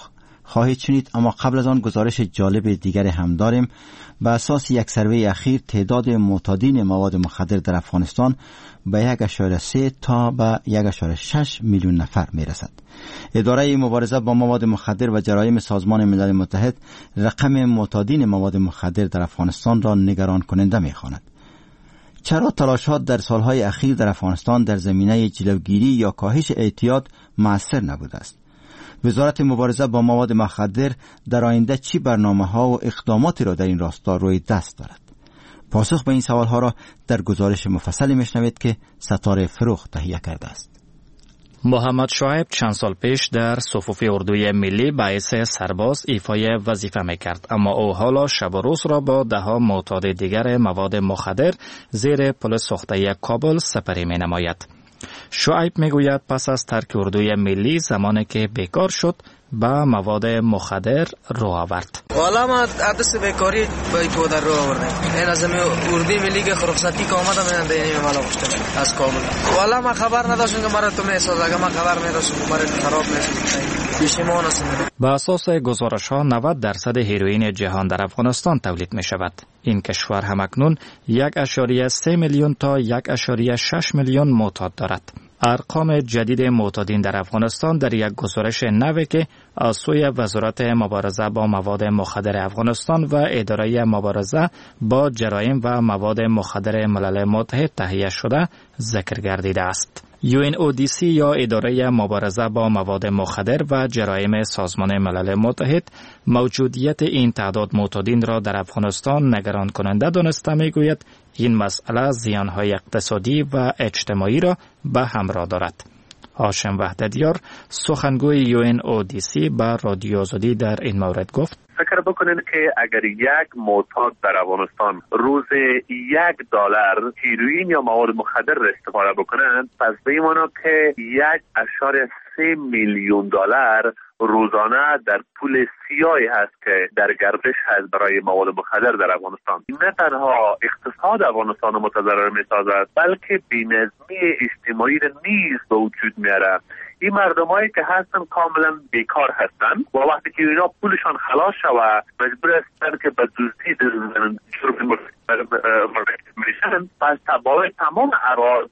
خواهید شنید، اما قبل از آن گزارش جالب دیگر هم داریم. به اساس یک سروی اخیر تعداد معتادین مواد مخدر در افغانستان به یک اعشاریه سه تا به یک اعشاریه شش میلیون نفر میرسد. اداره مبارزه با مواد مخدر و جرایم سازمان ملل متحد رقم معتادین مواد مخدر در افغانستان را نگران کننده می‌خواند. چرا تلاش‌ها در سالهای اخیر در افغانستان در زمینه جلوگیری یا کاهش اعتیاد مؤثر نبوده است؟ وزارت مبارزه با مواد مخدر در آینده چی برنامه‌ها و اقداماتی را در این راستا روی دست دارد؟ پاسخ به این سوالها را در گزارش مفصلی میشنوید که ستاره فروخ تهیه کرده است. محمد شعیب چند سال پیش در صفوف اردوی ملی به حیث سرباز ایفای وظیفه میکرد، اما او حالا شب و روز را با ده ها معتاد دیگر مواد مخدر زیر پل سوخته کابل سپری می نماید. شعیب میگوید پس از ترک اردوی ملی زمانی که بیکار شد به مواد مخدر رو آورد. والا ما عدس بیکاری به پودر رو آوردم. این از اردوی ملی که رخصتی که آمدم من این مالا گفتم از کابل. والا ما خبر نداشتم که مرا تو میساز، اگه ما خبر می‌داشتم که مرا خراب می‌ساز. بیشیمان هستم. به اساس گزارش‌ها نود درصد هیروئین جهان در افغانستان تولید می‌شود. این کشور همکنون یک اعشاریه سه میلیون تا یک اعشاریه شش میلیون معتاد دارد. ارقام جدید معتادین در افغانستان در یک گزارش نو که از سوی وزارت مبارزه با مواد مخدر افغانستان و اداره مبارزه با جرایم و مواد مخدر ملل متحد تهیه شده ذکر گردیده است. یو ان او دی سی یا اداره مبارزه با مواد مخدر و جرایم سازمان ملل متحد موجودیت این تعداد معتادین را در افغانستان نگران کننده دانسته میگوید این مسئله زیانهای اقتصادی و اجتماعی را به همراه دارد. هاشم وحدتیار، سخنگوی یو ان او دی سی، به رادیو آزادی در این مورد گفت: فکر بکنین که اگر یک معتاد در افغانستان روز یک دلار هیروئین یا مواد مخدر را استفاده بکنند، پس به این معنا که یک اعشاریه سه میلیون دلار روزانه در پول سیاهی هست که در گردش هست برای مواد مخدر در افغانستان. نه تنها اقتصاد افغانستان را متضرر می‌سازد، بلکه بی‌نظمی اجتماعی را نیز به وجود میاره. این مردمایی که هستن کاملا بیکار هستن و وقتی که اینا پولشان خلاص شوه مجبور هستن که به دزدی جرم مرتکب میشن. پس بالای تمام ابعاد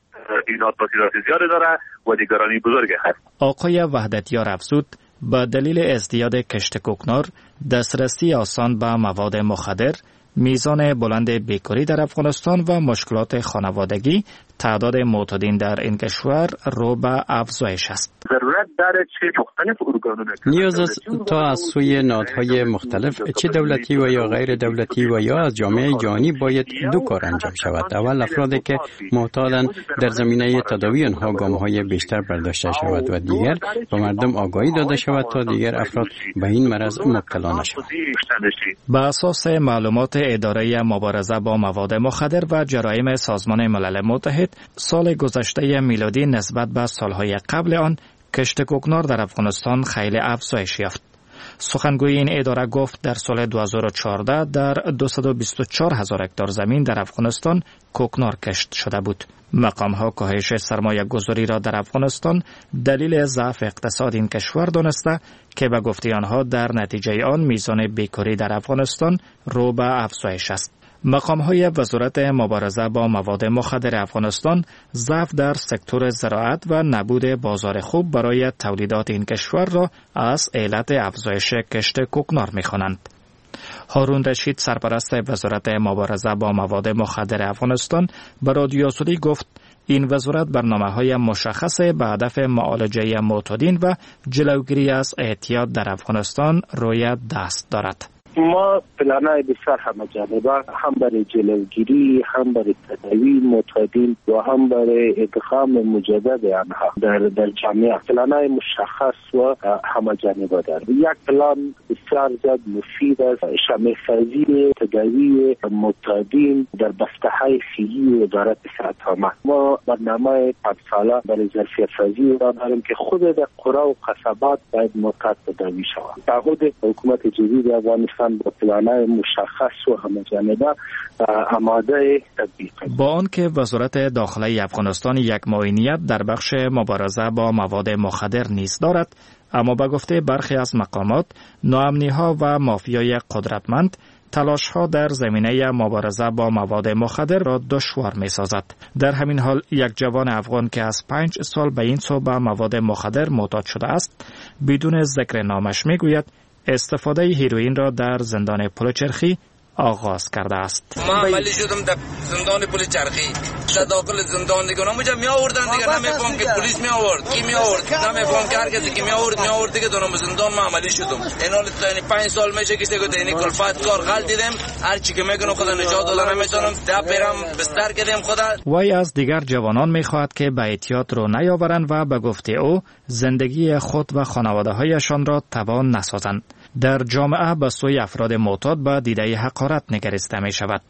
اینا تاثیرات زیاد داره و دیگرانی بزرگ هست. آقای وحدتیار افزود: به دلیل ازدیاد کشت کوکنار، دسترسی آسان به مواد مخدر، میزان بلند بیکاری در افغانستان و مشکلات خانوادگی، تعداد معتادین در این کشور رو به افزایش است. ضرورت داره چه مختلف ارگانونه نیاز است تا از سوی نهادهای مختلف، چه دولتی و یا غیر دولتی و یا از جامعه جهانی، باید دو کار انجام شود. اول، افرادی که معتادند در زمینه تداوی آنها گام‌های بیشتر برداشته شود و دیگر به مردم آگاهی داده شود تا دیگر افراد به این مرض مبتلا نشوند. به اساس معلومات اداره مبارزه با مواد مخدر و جرایم سازمان ملل متحد، سال گذشته میلادی نسبت به سالهای قبل آن کشت کوکنار در افغانستان خیلی افزایش یافت. سخنگوی این اداره گفت در سال دو هزار و چهارده در دویست و بیست و چهار هزار هکتار زمین در افغانستان کوکنار کشت شده بود. مقام ها کاهش سرمایه گذاری را در افغانستان دلیل ضعف اقتصاد این کشور دانسته که به گفته آنها در نتیجه آن میزان بیکاری در افغانستان رو به افزایش است. مقام های وزارت مبارزه با مواد مخدر افغانستان ضعف در سکتور زراعت و نبود بازار خوب برای تولیدات این کشور را از علت افزایش کشت کوکنار می‌خوانند. هارون رشید، سرپرست وزارت مبارزه با مواد مخدر افغانستان، به رادیو آزادی گفت این وزارت برنامه‌های مشخص به هدف معالجه معتادین و جلوگیری از اعتیاد در افغانستان روی دست دارد. ما پلانای بسیار همه جانبه، هم برای جلوگیری، هم برای تداوی معتادین و هم برای ادغام مجدد آنها در در جامعه، پلانای مشخص و همه جانبه دارد. یک پلان بسیار زیاد مفید است، شامل سازی تداوی معتادین در بسته‌های صحی وزارت صحت عامه. ما برنامه پنج ساله برای ظرفیت سازی را داریم که خود در قرى و قصبات باید معتاد تداوی شود. تعهد حکومت جدید افغانستان با پلان‌های مشخص و همه جانبه آماده تطبیق. با آنکه وزارت داخله افغانستان یک معینیت در بخش مبارزه با مواد مخدر نیز دارد، اما به گفته برخی از مقامات، ناامنی‌ها و مافیای قدرتمند تلاش‌ها در زمینه مبارزه با مواد مخدر را دشوار می‌سازد. در همین حال یک جوان افغان که از پنج سال به این سو به مواد مخدر معتاد شده است، بدون ذکر نامش می‌گوید استفاده هیروئین را در زندان پلچرخی آغاز کرده است. ما عملی شدم در زندان پلچرخی، در داخل زندان دیگه نمی‌جا می آوردن دیگه، نمی‌فهم که پلیس می آورد کی می آورد، نمی‌فهم که هر کسی که می آورد می آورد دیگه. دونم زندان ما عملی شدم. این حال تا پنج سال میشه که دیگه این کلفت کار غل دیدم، هر چی که میگن خدا نجات دادن نمیتونم، ده پیرم بستر کردم خدا. وی از دیگر جوانان میخواهد که به اعتیاد رو نیاورند و به گفته او زندگی خود و خانواده‌هایشان را توان نسازند. در جامعه به سوی افراد معتاد به دیده حقارت نگریسته می شود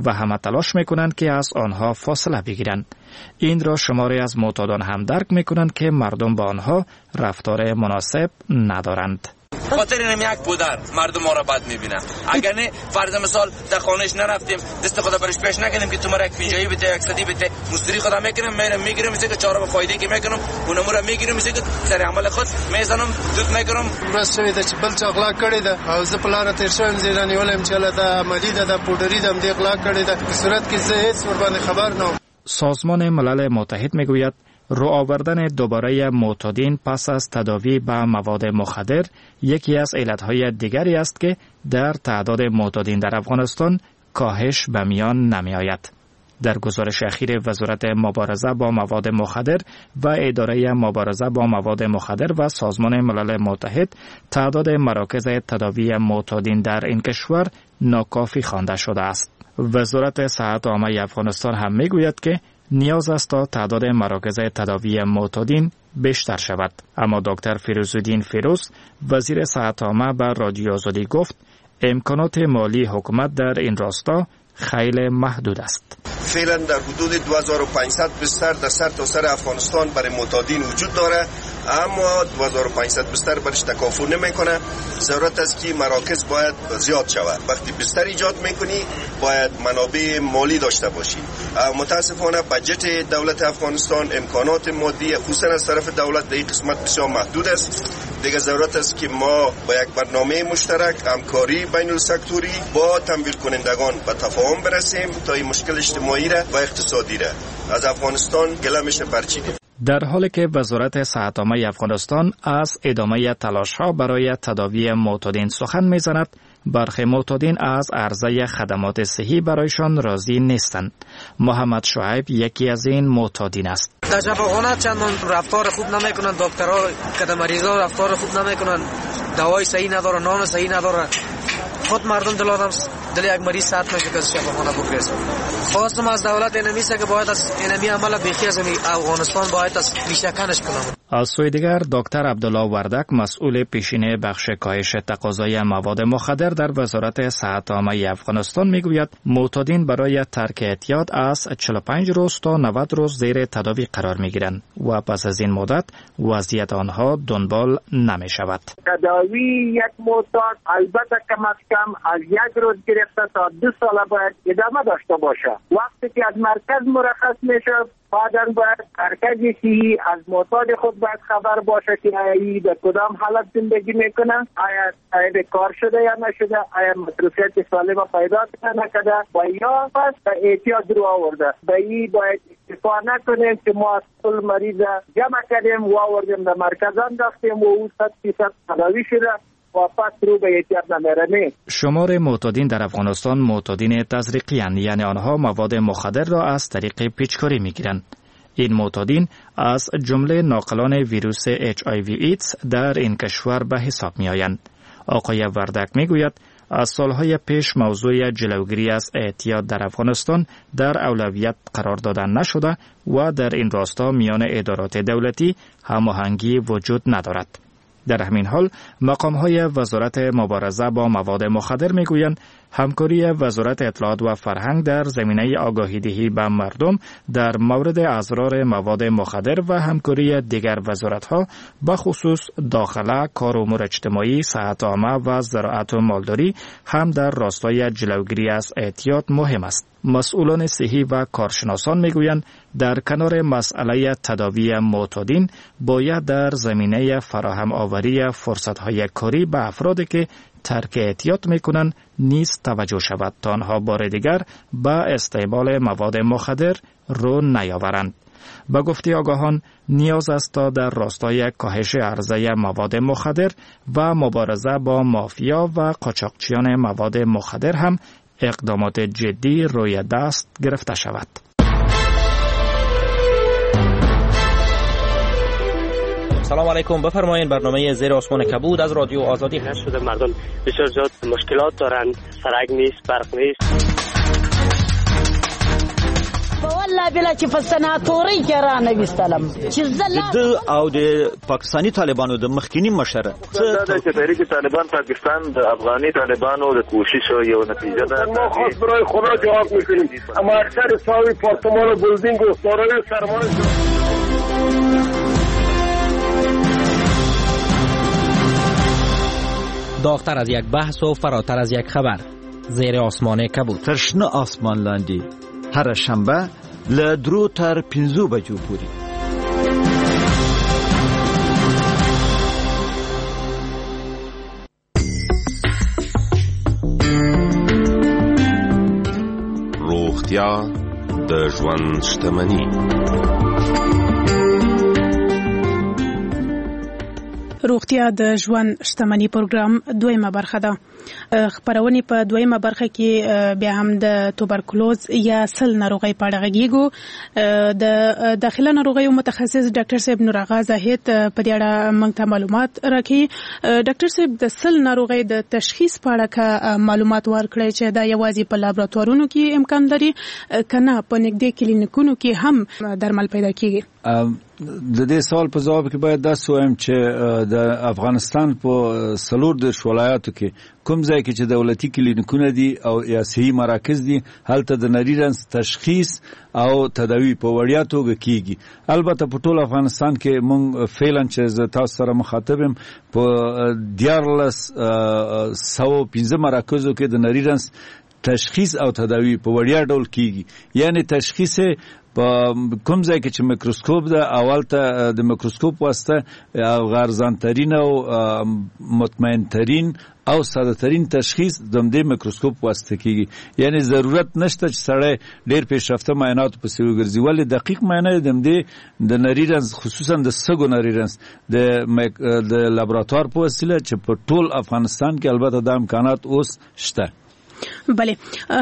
و همه تلاش می کنند که از آنها فاصله بگیرند. این را شماری از معتادان هم درک می کنند که مردم با آنها رفتار مناسب ندارند. خاطر اینم یک پودر مردم ما را بد میبینن. اگر نه فرض مثال در خانهش نرفتیم، دست خدا برش پیش نکردیم که تو مرا یک پنجاهی بده، یک صدی بده، مزدوری خدا میکنم، میرم میگیرم، میشه که چهار به فایده که میکنم، اونم را میگیرم، میشه که سر عمل خود میزنم، دود میکنم. ورځ شوې ده چې بل چا غلا کړې ده او زه په لاره تیر شوم، زه رانیولم چې هله دا عملي ده، دا پوډري ده، همدې غلا کړې ده. په صورت کې زه هیڅ ورباندې خبر نه وم. سازمان ملل متحد میگوید رو آوردن دوباره معتادین پس از تداوی به مواد مخدر یکی از علتهای دیگری است که در تعداد معتادین در افغانستان کاهش به میان نمی آید. در گزارش اخیر وزارت مبارزه با مواد مخدر و اداره مبارزه با مواد مخدر و سازمان ملل متحد، تعداد مراکز تداوی معتادین در این کشور ناکافی خوانده شده است. وزارت صحت عامه افغانستان هم میگوید که نیاز است تا تعداد مراکز تداوی معتادین بیشتر شود. اما دکتر فیروزالدین فیروز، وزیر صحت عامه، به رادیو آزادی گفت امکانات مالی حکومت در این راستا خیلی محدود است. فعلا در حدود دو هزار و پانصد بستر در سر تا سر افغانستان برای معتادین وجود داره، اما دو هزار و پانصد بستر برش تکافو نمیکنه. ضرورت است که مراکز باید زیاد شود. وقتی بستر ایجاد میکنی باید منابع مالی داشته باشی. متاسفانه بجت دولت افغانستان، امکانات مادی خصوصا از طرف دولت در این قسمت بسیار محدود است. دیگه ضرورت است که ما با یک برنامه مشترک، همکاری بین السکتوری با تمویل کنندگان به تفاهم برسیم تا این مشکل اجتماعی را و اقتصادی را از افغانستان گلمش برچینیم. در حالی که وزارت صحت عامه افغانستان از ادامه تلاش‌ها برای تداوی معتادین سخن می‌زند، برخی معتادین از عرضه خدمات صحی برایشان راضی نیستند. محمد شعیب یکی از این معتادین است. در شفاخانه چندان رفتار خوب نمی‌کنند، دکترها که مریضا رفتار خوب نمی‌کنند، دوای صحیح ندارن، نان صحیح ندارن. خود مردم دل آدم دل یک مریض سرد میشه که از شفاخانه بگریزه. خواستم از دولت اینمی است که باید از اینمی عمل بیخی از افغانستان باید از ریشه کنش کنم. از سوی دیگر دکتر عبدالله وردک، مسئول پیشینه بخش کاهش تقاضای مواد مخدر در وزارت صحت عامه افغانستان، میگوید معتادین برای ترک اعتیاد از چهل و پنج روز تا نود روز زیر تداوی قرار میگیرند و پس از این مدت وضعیت آنها دنبال نمیشود. تداوی یک معتاد البته کم از کم از یک روز گرفته تا دو سال باید ادامه داشته باشه. وقتی که از مرکز مرخص میشه، بعداً باید مرکز صحی از معتاد خود باید خبر باشه که آیا در کدام حالت زندگی میکنه، آیا صاحب کار شده یا نشده، آیا مصروفیت سالم پیدا کرده نکرده و یا پس به اعتیاد رو آورده. به این باید اکتفا نکنیم که ما کل مریض جمع کردیم و آوردیم در مرکز انداختیم و او صد فیصد تداوی شده. شمار معتادین در افغانستان معتادین تزریقی اند، یعنی آنها مواد مخدر را از طریق پیچکاری میگیرند. این معتادین از جمله ناقلان ویروس اچ آی وی ایدز در این کشور به حساب می آیند. آقای وردک می گوید از سالهای پیش موضوع جلوگیری از اعتیاد در افغانستان در اولویت قرار داده نشده و در این راستا میان ادارات دولتی هماهنگی وجود ندارد. در همین حال مقام‌های وزارت مبارزه با مواد مخدر میگویند همکاری وزارت اطلاعات و فرهنگ در زمینه آگاهی دهی به مردم در مورد اضرار مواد مخدر و همکاری دیگر وزارت‌ها به خصوص داخله، کار امور اجتماعی، صحت عامه و زراعت و مالداری هم در راستای جلوگیری از اعتیاد مهم است. مسئولان صحی و کارشناسان میگویند در کنار مسئله تداوی معتادین باید در زمینه فراهم آوری فرصت‌های کاری به افرادی که ترک اعتیاد میکنند نیز توجه شود تا آنها بار دیگر به استعمال مواد مخدر رو نیاورند. به گفته آگاهان نیاز است تا در راستای کاهش عرضه مواد مخدر و مبارزه با مافیا و قاچاقچیان مواد مخدر هم اقدامات جدی روی دست گرفته شود. سلام علیکم، بفرمایید برنامه زیر آسمان کبود از رادیو آزادی. شده مردم بسیار زیاد مشکلات دارند، سرک نیست، برق نیست. والله بلا چې په سناتوري کې را نه وستلم چې زه د او د پاکستاني طالبانو د مخکینی مشر دا چې تحریک طالبان پاکستان د افغاني طالبانو د کوشش یو نتیجه ده. ما خواست برای خدا جواب میکنیم، اما اکثر ساوی پارتمان و بلدینگ و دارای سرمایه. داغ‌تر از یک بحث و فراتر از یک خبر، زیر آسمان کبود. تر شنه آسمان لاندې هره شنبه له درو تر پنځو بجو پورې. روغتیا د ژوند شتمني. روغتیا د ژوند شتمني پروګرام دویمه برخه ده. خپرونې په دویمه برخه کې بیا هم د توبرکلوز یا سل ناروغۍ په اړه غږیږو. د داخله ناروغیو متخصص ډاکټر صاحب نور آغا زاهد په دې اړه موږ ته معلومات راکوي. ډاکټر صاحب، د سل ناروغۍ د تشخیص په اړه که معلومات ورکړئ چې دا یوازې په لابراتوارونو کې امکان لري که نه په نږدې کلینیکونو کې هم درمل پیدا کیږي؟ د دې سوال په ځواب کې باید داسې ووایم چې د افغانستان په څلور دېرش ولایاتو کې کوم ځای کې چې دولتي کلینیکونه دي او یا صحي مراکز دي، هلته د نري رنځ تشخیص او تداوي په وړیا توګه کیږي. البته په ټول افغانستان کې مونږ فعلا چې زه تاسو سره مخاطب یم په دیارلس سوه پنځه مراکزو کې د نري رنځ تشخیص او تداوي په وړیا ډول کیږي. یعنی تشخیص په کوم ځای کې چې میکروسکوپ ده، اول ته د میکروسکوپ واسطه ارزان ترین او مطمئن ترین او ساده ترین تشخیص د همدې میکروسکوپ واسطه کیږي. یعنی ضرورت نشته چې سړی ډیر پیشرفته معایناتو پسې وګرځي، ولې دقیق معاینه د همدې د نري رنځ، خصوصا د سږو نري رنځ د د لابراتوار په وسیله چې په ټول افغانستان کې البته دا امکانات اوس شته. بله،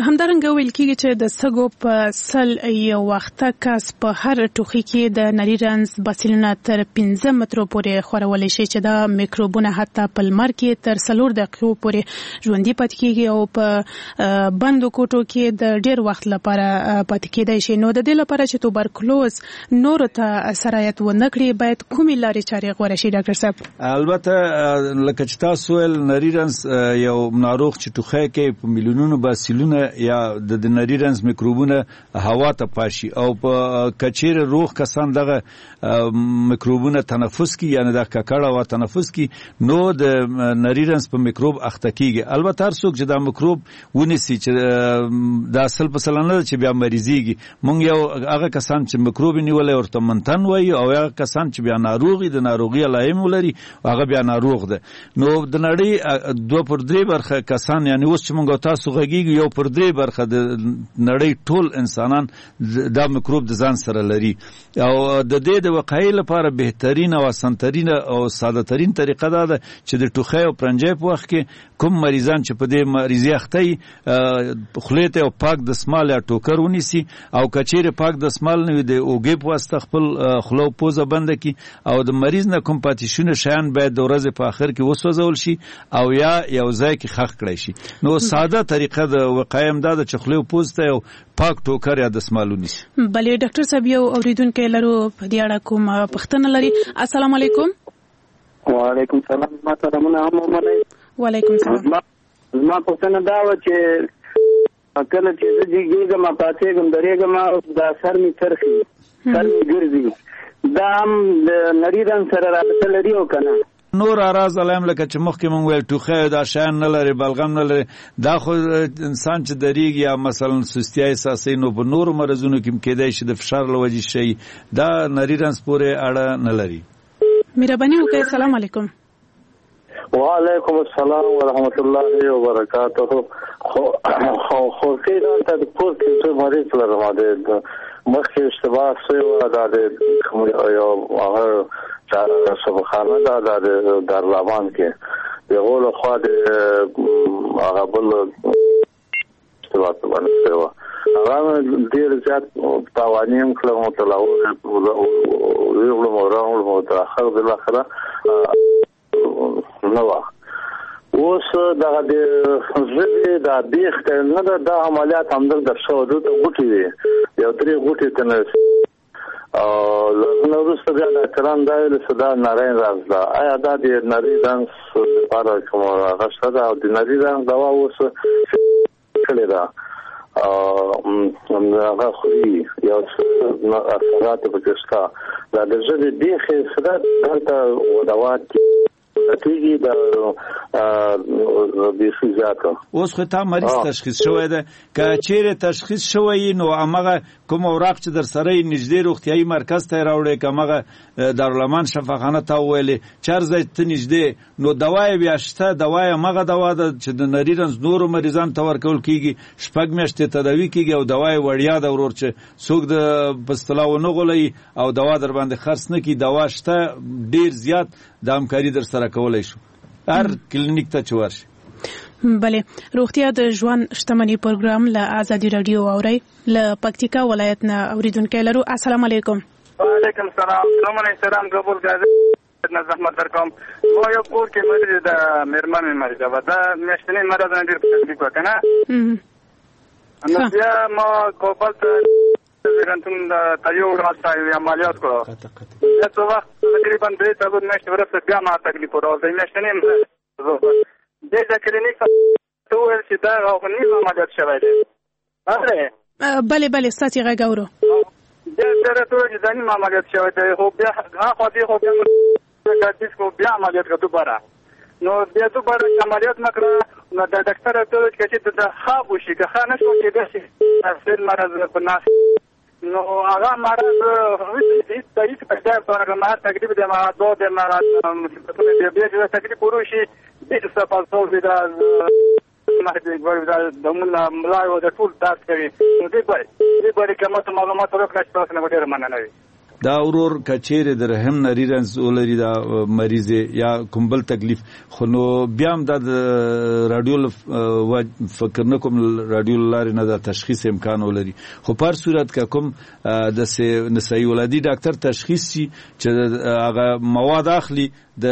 همدارنګه ویل کیږي چې د سږو په سل یو وخته کس په هر ټوخي کې د نري رنځ باسیلونه تر پنځه مترو پورې خورولی شي، چې دا میکروبونه حتی په لمر کې تر څلور دقیقو پورې ژوندي پاتې کیږي او په بندو کوټو کې د ډیر وخت لپاره پاتې کیدای شي. نو د دې لپاره چې توبرکلوز نورو ته سرایت ونه کړي باید کومې لارې چارې غوره شي ډاکټر صاحب؟ البته لکه چې تاسو ویل، نري رنځ یو ناروغ چې ټوخی کوي په میلیونونو باسیلونه یا د نري رنځ میکروبونه هوا ته پاشي، او په کچیر روغ کسان دغه میکروبونه تنفس کی، یعنی د ککړه هوا تنفس کی، نو د نري رنځ په میکروب اخته کیږي. البته هر څوک چې دا میکروب ونیسي، چې دا اصل په سل نه چې بیا مریضیږي، مونږ یو هغه کسان چې میکروب نیولې ورته منتن وایي، او هغه کسان چې بیا ناروغي د ناروغي علایم ولري هغه بیا ناروغ ده. نو د نړۍ دوه پر درې برخه کسان، یعنی اوس چې مونږ تاسو غږیږو، یو پر درې برخه د نړۍ ټول انسانان دا میکروب د ځان سره لري. او د دې د وقایې لپاره بهترین او اسانترین او ساده ترین طریقه دا ده چې د ټوخی او پرنجی په وخت کې کوم مریضان چې په دې مریضي اخته وي، خولې ته یو پاک دستمال یا ټوکر ونیسي، او که چیرې پاک دستمال نه وي د اوږې په واسطه خپل خوله او پوزه بنده کړي، او د مریض نه کوم پاتې شوني شیان باید د ورځې په آخر کې وسوځول شي او یا یو ځای کې ښخ کړای شي. نو ساده طریقه د وقایې هم دا ده چې خولې او پوزې ته یو پاک ټوکر یا دستمال ونیسي. بله ډاکټر صاحب، یو اوریدونکی لرو په دې اړه کوم پوښتنه لري. السلام علیکم. وعلیکم سلام، ما سلامونه هم ومنئ. وعلیکم سلام. زما پوښتنه دا وه چې کله چې زه جګېږم، پاڅېږم، درېږم، دا سر مې څرخي، سر مې ګرځي، دا هم د نري رنځ سره رابطه لري او که نه؟ نور اعراض علایم لکه چې مخکې مونږ ویل ټوخی دا شیان نه لري، بلغم نه لري، دا خو انسان چې درېږي یا مثلا سستیا احساسوي، نو په نورو مرضونو کې هم کېدای شي د فشار له وجې شي، دا نري رنځ پورې اړه نه لري. مهرباني وکړئ. السلام علیکم. وعلیکم السلام ورحمت الله وبرکاته. خو خو خو کې دا ته د کور کې څه مریض لرم، د مخکې اشتباه شوې وه، دا د یو هغه سبخانه دا د دارلامان کې د هغو لخوا د هغه بل اشتباه باندې شوې وه، هغه ډېر زیات تاواني هم کړم او تر ویغلم او راغلم او تر اخر بالاخره نه وه. اوس دغه د ژبې دا بیخ ته نه ده، دا عملیات همدلته شوی، دلته غوټې وې، یو درې غوټې ته نه او له وروسته بیا ډاکټران دا ویل چې دا نری رنځ ده. آیا دا د نري رنځ لپاره کوم هغه شته ده؟ او د نري رنځ دوا اوس کړې ده، هغه خوري، یو څه اثرات پکې شته. دا د ژبې بیخ یې څه ده، دلته دوا کیږي دا بیخي زیاته. اوس خو تا مریض تشخیص شوی ده، که چیرې تشخیص شوی نو همغه کوم اوراق چې در سره یې نږدې روغتیایي مرکز ته یې راوړې، که همغه دارالامان شفاخانه تا وویلې چې هر ځای ته نږدې، نو دوا یې بیا شته. دوا یې همغه دوا ده چې د نري رنځ نورو مریضانو ته ورکول کیږي، شپږ میاشتې تداوي کیږي او دوا یې وړیا ده ورور، چې څوک د په اصطلاح ونه غولوي او دوا در باندې خرڅ نه کړي. دوا شته ډیر زیات، د همکاري در سره کولای شو هر کلینیک ته چې ورشي. بله، روغتیا د ژوند شتمني پروګرام له ازادي راډیو اورئ. له پکتیکا ولایت نه اوریدونکی لرو. السلام علیکم. وعلیکم السلام. سلام علیکم. قبول نه زحمت درکوم. ما یو کور کې مریض ده، مېرمن مې مریضه وه، دا میاشتنی مرض نه ډېر تکلیف وه که نه. نو بیا ما کابل ته زېږنتون ته یوړم، هلته یو عملیات کړو. بیا څه وخت تقریبا درې څلور میاشتې وروسته بیا ما تکلیف وراغلی، میاشتنی مرض. دې د کلینیک ته وویل چې دا نیم عملیات شوی دی. بله بله، ستاسې غږ اورو. بیا بیا راته وویل چې دا نیم عملیات شوی دی، خو بیا هاخوا دې خو بیا کو بیا عملیات کړه دوباره. نو بیا دوباره عملیات نه کړه، نو د ډاکټر راته وویل چې د ښه وشي، که ښه نه شو کېدای شي سل مرض په ناس. نو هغه مرض هیڅ هیڅ پیدا نه ما تکلیف دی، ما دوه د مرض مصیبتونه دی. بیا چې تکلیف وروشي ډېر څه پاتې دی، دا د ملا او د ټول درد کوي. نو دې باندې دې باندې که ماته معلومات راکړئ تاسو نه به ډېره مننه وي. دا ورور کچېرې د رحم نری رنځ ولري دا مریض یا کوم بل تکلیف، خو نو بیا هم دا د راډیو فکر نه کوم راډیو لارې نه دا تشخیص امکان ولري. خو په هر صورت که کوم داسې نسایي ولادي ډاکټر تشخیص شي چې هغه مواد اخلي د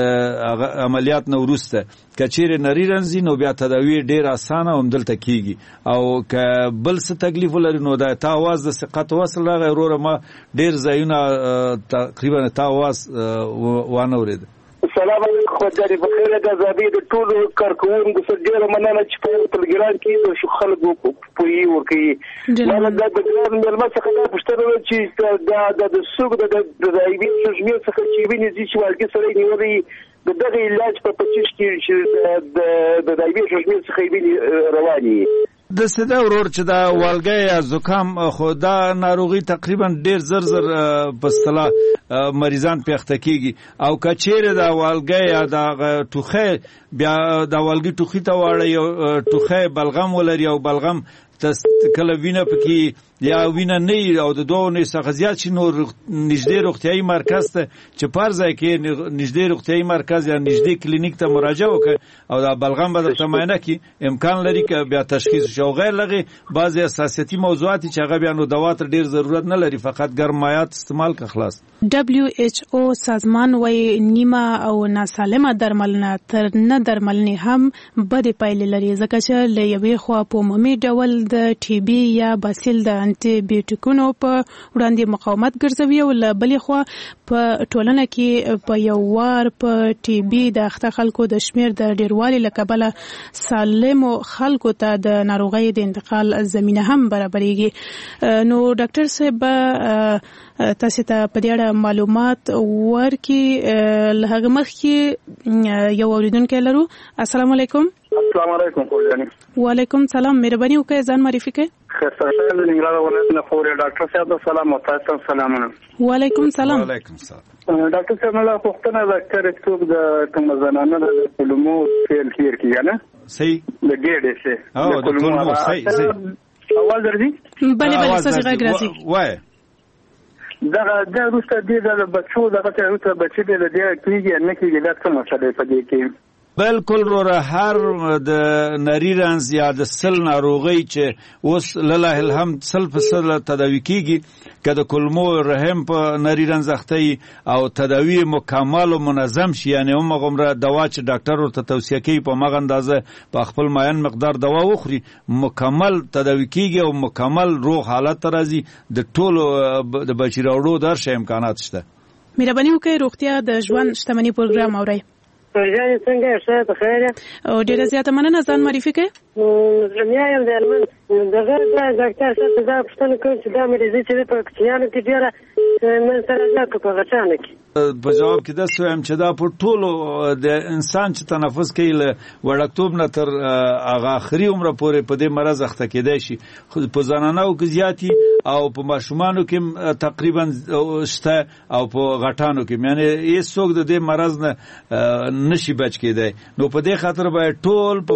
هغه عملیات نه وروسته، که چیرې نری رنځ نو بیا تداوی ډیر اسانه هم دلته کیږي. او که بل څه تکلیف ولري نو دا تا اواز د ثقت وصل راغی وروره، ما ډیر ځایونه تقریبا تا اواز وانه ورېد. سلام علیکم خدای بخیر. د ازادي د ټولو کارکوونکو څخه ډیره مننه چې په ټلګرام کې د خلکو پوهي ورکوي. ما د ګران مېلمه څخه دا پوښتنه وه چې دا د سوق د د ایبي سوژمې څخه چې ویني چې والګي سره نیولې د دغه علاج په پچیش کې چې د د ایبي سوژمې څخه ویني رواني د سده ورور چې دا والګی یا زکام، خو دا ناروغي تقریبا ډیر زر زر په اصطلاح مریضان پې اخته کیږي. او که چیرې دا والګی یا دا ټوخی بیا دا والګي ټوخي ته واړوي او ټوخی بلغم ولري او بلغم کله وینه پکې یا وینه نه او د دوه اونیو څخه زیات شي، نو نږدې روغتیایي مرکز ته چې په هر ځای کې نږدې روغتیایي مرکز یا نږدې کلینیک ته مراجعه وکړي او دا بلغم به درته معاینه کړي، امکان لري که بیا تشخیص شي. او غیر له هغې بعضې حساسیتي موضوعات چې هغه بیا نو دوا ته ډېر ضرورت نه لري، فقط ګرم مایعات استعمال که خلاص. ډبلیو ایچ او سازمان وایي نیمه او ناسالمه درملنه تر نه درملنې هم بدې پایلې لري، ځکه چې له یوې خوا په عمومي ډول د ټي بي یا باسیل د انټي بیوټیکونو په وړاندې مقاومت ګرځوي او له بلې خوا په ټولنه کې په یو وار په ټي بي د اخته خلکو د شمېر د ډیروالي له کبله سالمو خلکو ته د ناروغۍ د انتقال زمینه هم برابرېږي. نو ډاکټر صاحب تاسو ته په دې اړه معلومات ورکړي. له هغه مخکې یو اوریدونکی لرو. السلام علیکم. السلام علیکم خور جانې. وعلیکم سلام. مهرباني وکړئ ځان معرفي کړئ. خسته شه د ننګرهار ولایت نه خور. ډاکټر صاحب سلام او تاسو ته سلامونه. وعلیکم سلام. وعلیکم سلام. ډاکټر صاحب مله پوښتنه ده چې څوک د کوم زنانه د کولمو فعل تیر کیږي نه صحیح د ګېډې سي او د کولمو صحیح صحیح اواز درځي؟ بله بله ستاسو غږ راځي. وای دغه د وروسته دې د بچو دغه ته وروسته بچی دې د کیږي نه کیږي، دا څه مسله په دې کې؟ بالکل وروره، هر د نری رنځ یا د سل ناروغۍ چې اوس لله الحمد سل په سل تداوي کیږي، که د کولمو رحم په نری رنځ اخته او تداوي مکمل او منظم شي، یعنې همغومره دوا چې ډاکټر ورته توصیه کوي په همغه اندازه په خپل معین مقدار دوا وخوري، مکمل تداوي کیږي او مکمل روغ حالت ته راځي. د ټولو د بچي راوړو د هر شي امکانات شته. مهرباني وکړئ روغتیا د ژوند شتمني پروګرام اورئ. جانې څنګه یې؟ ښه په خیر یې؟ او ډېره زیاته مننه. ځان معرفي کړئ. رمیا یم د هلمند. دغه ډاکټر صاحب ته دا پوښتنه کوم چې دا مریضي چې په کوچنیانو کې ډېره منځته راځي که په غټانو کې؟ په جواب کې داسې وایم چې دا په ټولو د انسان چې تنفس کوي له وړکتوب نه تر هغه اخري عمره پورې په دې مرض اخته کېدای شي. خو په زنانو کې زیات او په ماشومانو کې تقریبا شته او په غټانو کې، یعنې هیڅوک د دې مرض نه نشي بچ کېدای. نو په دې خاطر باید ټول په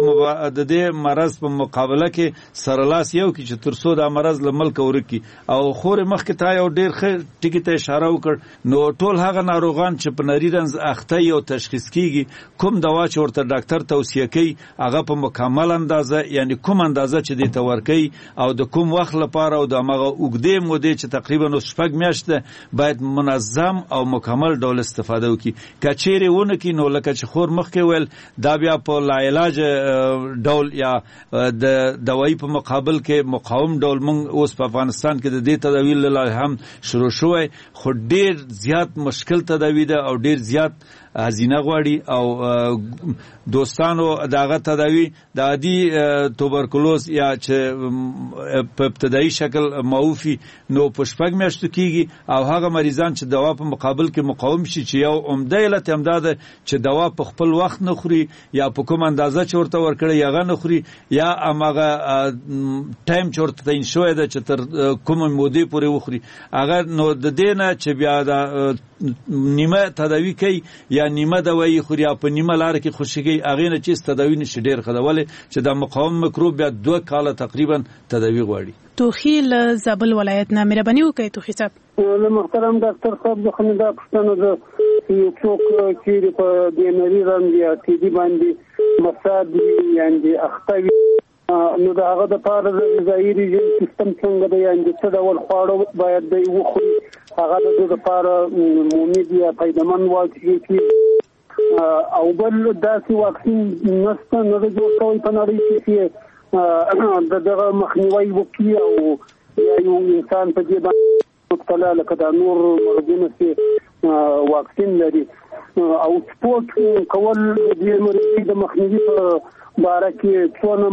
د دې مرض په مقابله کې سره لاس یو کړي چې تر څو دا مرض له ملکه ورک کړي. او خورې مخکې تا یو ډېر ښه ټکي ته اشاره وکړ، نو ټول هغه ناروغان چې په نري رنځ اخته یو تشخیص کیږي، کوم دوا چې ورته ډاکټر توصیه کوي هغه په مکمل اندازه، یعنی کوم اندازه چې دې ته ورکوي او د کوم وخت لپاره او د هماغه اوږدې مودې چې تقریبا اوس شپږ میاشتې باید منظم او مکمل ډول استفاده وکړي. که چیرې ونه کړي نو لکه چې خور مخکې ویل دا بیا په لاعلاج ډول یا د دوایي په مقابل کې مقاوم ډول موږ اوس په افغانستان کې د دې تداوي له لارې هم شروع شوی، خو ډیر زیات مشکل تداوي ده او ډیر زیات هزینه غواړي. او دوستانو دغه تداوي د عادي توبرکلوز یا چې په ابتدایي شکل معوفي نو په شپږ میاشتو کیږي، او هغه مریضان چې دوا په مقابل کې مقاوم شي چې یو عمده علت هم دا ده چې دوا په خپل وخت نه خوري یا په کوم اندازه چې ورته ورکړي هغه نه خوري، یا هماغه ټایم چې ورته تعین شوی ده چې تر کومې مودې پورې وخوري هغه، نو د دې نه چې بیا دا نیمه تداوي کوي یا نیمه دوایي خوري یا په نیمه لار کې خوشي کوي هغې نه چې هېڅ تداوي نشي ډېر ښه ده، ولې چې دا مقاوم میکروب بیا دوه کاله تقریبا تداوي غواړي. توخي له زابل ولایت نه، مهرباني وکړئ توخي صاحب. له محترم ډاکټر صاحب څخه مې دا پوښتنه ده چې یو څوک چیرې په دې نري رنځ یا ټي بي باندې مصاب وي یعنې اخته وي، نو د هغه دپاره د غذایي رژیم سیستم څنګه دی، یعنې څه ډول خواړه باید دی وخوري هغه د ده دپاره مفید یا فایدهمند واقع کېږي، او بل داسې واکسین نشته نه دی جوړ شوی په نړۍ کې چې د دغه مخنیوی وکړي او یا یو انسان په دې باندې مبتلا لکه دا نور مرضونه چې واکسین لري، او سپورت کول د دې مرض د مخنیوي په باره کې څونه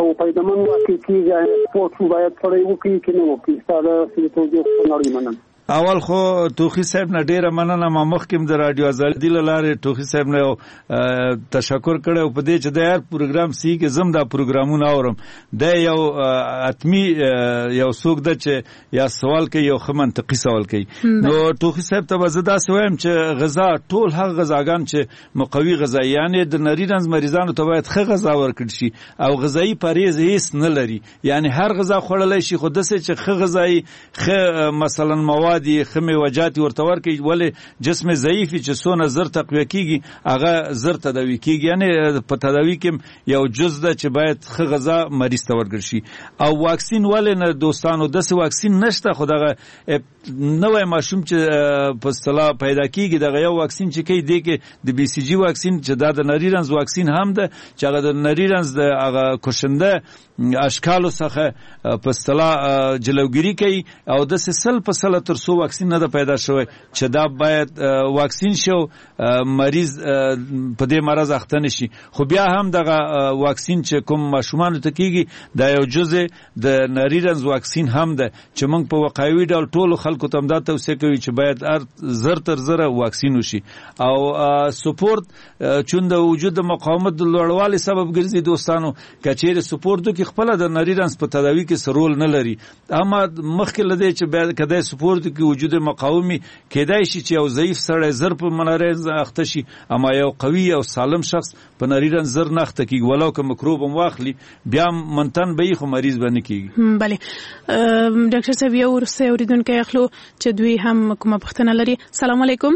او فایدهمند واقع کېږي، سپورت باید سړی وکړي که نه وکړي؟ ستا د توجیه څخه نړۍ مننه. اول خو توخي صاحب نه ډیره مننه، ما مخکې د رادیو ازادي له لارې توخي صاحب نه یو تشکر کړی او په دې چې د هر پروګرام سی کې زم دا پروګرامونه اورم، دا یو اتمی یو څوک ده چې یا سوال کوي یو ښه منطقي سوال کوي. نو توخي صاحب ته به زه داسې وایم چې غذا ټول هغه غذاګان چې مقوي غذا، یعنې د نري رنځ مریضانو ته باید ښه غذا ورکړل شي او غذایي پرهیز هیڅ نه لري، یعنې هر غذا خوړلی شي خو داسې چې ښه غذایي ښه مثلا مواد دي ښه میوهجات ورته ورکړي، ولې جسم ضعیف چې څونه زر تقویه کیږي هغه زر تداوي کیږي، یعنې په تداوي کې یو جز ده چې باید ښه غذا مریض ته ورکړل شي. او واکسین ولې نه دوستانو داسې واکسین نشته، خو دغه نوی ماشوم چې په اصطلاح پیدا کیږي دغه یو واکسین چې کوي دی کې د بي سي جي واکسین چې دا د نري رنځ واکسین هم ده چې هغه د نري رنځ د هغه کشنده اشکالو څخه په اصطلاح جلوګیري کوي، او داسې سل په سله تر څو واکسین نه ده پیدا شوی چې دا باید واکسین شي او مریض په دې مرض اخته نه شي. خو بیا هم دغه واکسین چې کوم ماشومانو ته کیږي دا یو جزء د نري رنځ واکسین هم ده چې موږ په وقایوي ډول ټولو خلکو ته هم دا توصیه کوي چې باید هر زر تر زره واکسین وشي. او سپورت چون د وجود د مقاومت د لوړوالي سبب ګرځي دوستانو، که چیرې سپورت وکړي خپله د نري رنځ په تداوي کې څه رول نه لري، اما مخکې له دې چې باید که دی سپورت کې وجود مقاومي کېدای شي چې یو ضعیف سړی زر په نري رنځ اخته شي، اما یو قوي او سالم شخص په نري رنځ زر نه اخته کېږي، ولو که میکروب هم واخلي بیا منتن به یې خو مریض به نه کېږي. بله ډاکټر صاحب یو وروستی اورېدونکی اخلو چې دوی هم کومه پوښتنه لري. سلام علیکم.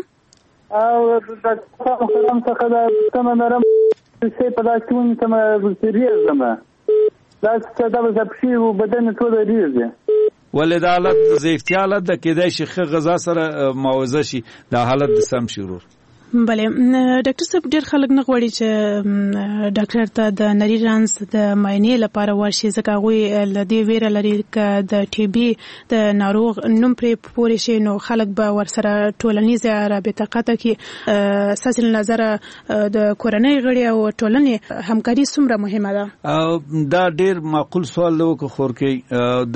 او ډاکټر محترم څخه دا پوښتنه لرم چې په داسې ونیسم ریږم دا چې دا به پښې او بدن ټول ریږي. ولې دا حالت ضعیفتیا حالت ده، کېدای شي ښه غذا سره معاوضه شي دا حالت د سم شي ورور. بله ډاکټر صاحب ډېر خلک نه غواړي چې ډاکټر ته د نري رنځ د معاینې لپاره ورشي، ځکه هغوی له دې ویره لري که د ټي بي د ناروغ نوم پرې پورې شي نو خلک به ورسره ټولنیزه رابطه قطع کړي. ستاسې له نظره د کورنۍ غړي او ټولنې همکاري څومره مهمه ده؟ دا ډېر معقول سوال دی وکړه خورکۍ.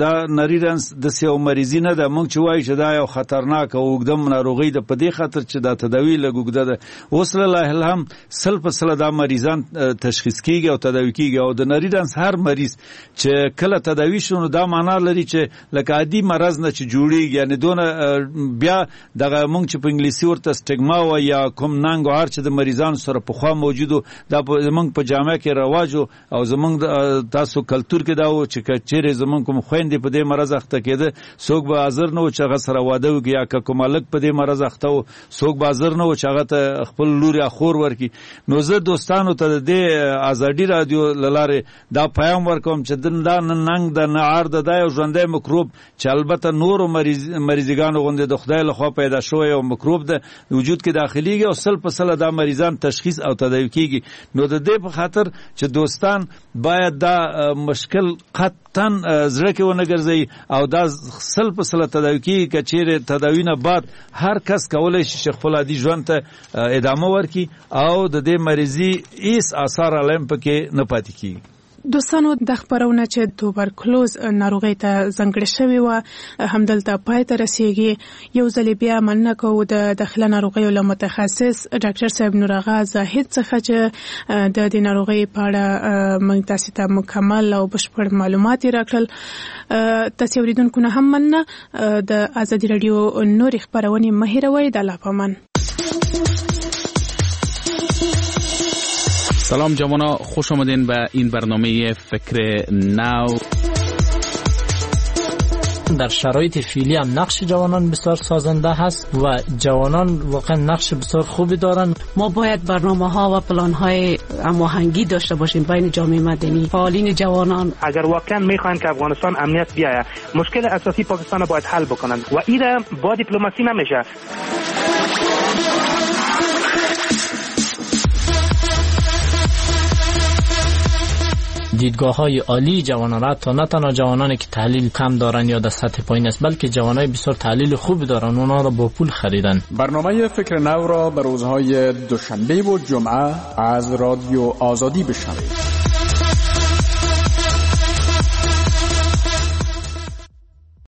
دا نري رنځ داسې یو مریضي نه ده موږ چې وایو چې دا یو خطرناک او اوږده ناروغي ده، په دې خاطر چې دا تداوي لږ اوږده وسیله ده. اوس لله الحمد سل په سله دا مریضان تشخیص کیږي او تداوي کیږي. او د نري رنځ هر مریض چې کله تداوي شو نو دا معنا لري چې لکه عادي مرض نه چې جوړیږي، یعنی دونه بیا دغه مونږ چې په انګلیسي ورته سټیګما و یا کوم ننګ او هر چې د مریضانو سره پخوا موجودو، دا زمونږ په جامعه کې رواج او زمونږ تاسو کلتور کې دا و چې چیرې زمونږ کوم خویندې په دې مرض اخته کېده څوک به حاضر نه و چې هغه سره واده وکړي، یا که کوم هلک په دې مرض اخته و څوک به حاضر نه و چې هغه ته خپل لور یا خور ورکړي. نو زه دوستانو ته د دې ازادي رادیو له لارې دا پیام ورکوم چې دا نه ننګ ده نه عار ده، دا یو ژوندی مکروب چې البته نورو مریض مریضګانو غوندې د خدای لخوا پیدا شوی یو مکروب ده وجود کې داخليږي او سل په سله دا مریضان تشخیص او تداوي کیږي. نو د دې په خاطر چې دوستان باید دا مشکل قطعاً زړه کې ونه ګرځي او دا سل په سله تداوي کیږي. که چیرې تداوي نه بعد هر کس کولی شي چې خپل عادي ژوند ته ادامه ورکړي او د دې مریضي هیڅ آثار علم پکې نه پاتې کیږي. دوستانو، د خبرونه چې توبرکلوز ناروغۍ ته ځانګړې شوې وه همدلته پای ته رسیږي. یو ځل بیا مننه کوو د داخله ناروغیو له متخصص ډاکټر صاحب نورآغا زاهد څخه چې د دې ناروغۍ په اړه موږ تاسو ته مکمل او بشپړ معلومات یې راکړل. تاسو اورېدونکو نه هم مننه. د ازادي راډیو نورې خپرونې مه هېروئ. د الله په امان. سلام جوانا، خوش آمدین به این برنامه فکر نو. در شرایط فعلی هم نقش جوانان بسیار سازنده هست و جوانان واقعا نقش بسیار خوبی دارند. ما باید برنامه ها و پلان های هماهنگی داشته باشیم بین جامعه مدنی، فعالین جوانان. اگر واقعا میخواین که افغانستان امنیت بیاید، مشکل اساسی پاکستان باید حل بکنند و ایره با دیپلماسی نمیشه. دیدگاه های عالی جوانان را تا نه تنها جوانانی که تحلیل کم دارن یا در سطح پایین است، بلکه جوانای بسیار تحلیل خوب دارن، اونا را با پول خریدن. برنامه فکر نو را به روزهای دوشنبه و جمعه از رادیو آزادی بشنوید.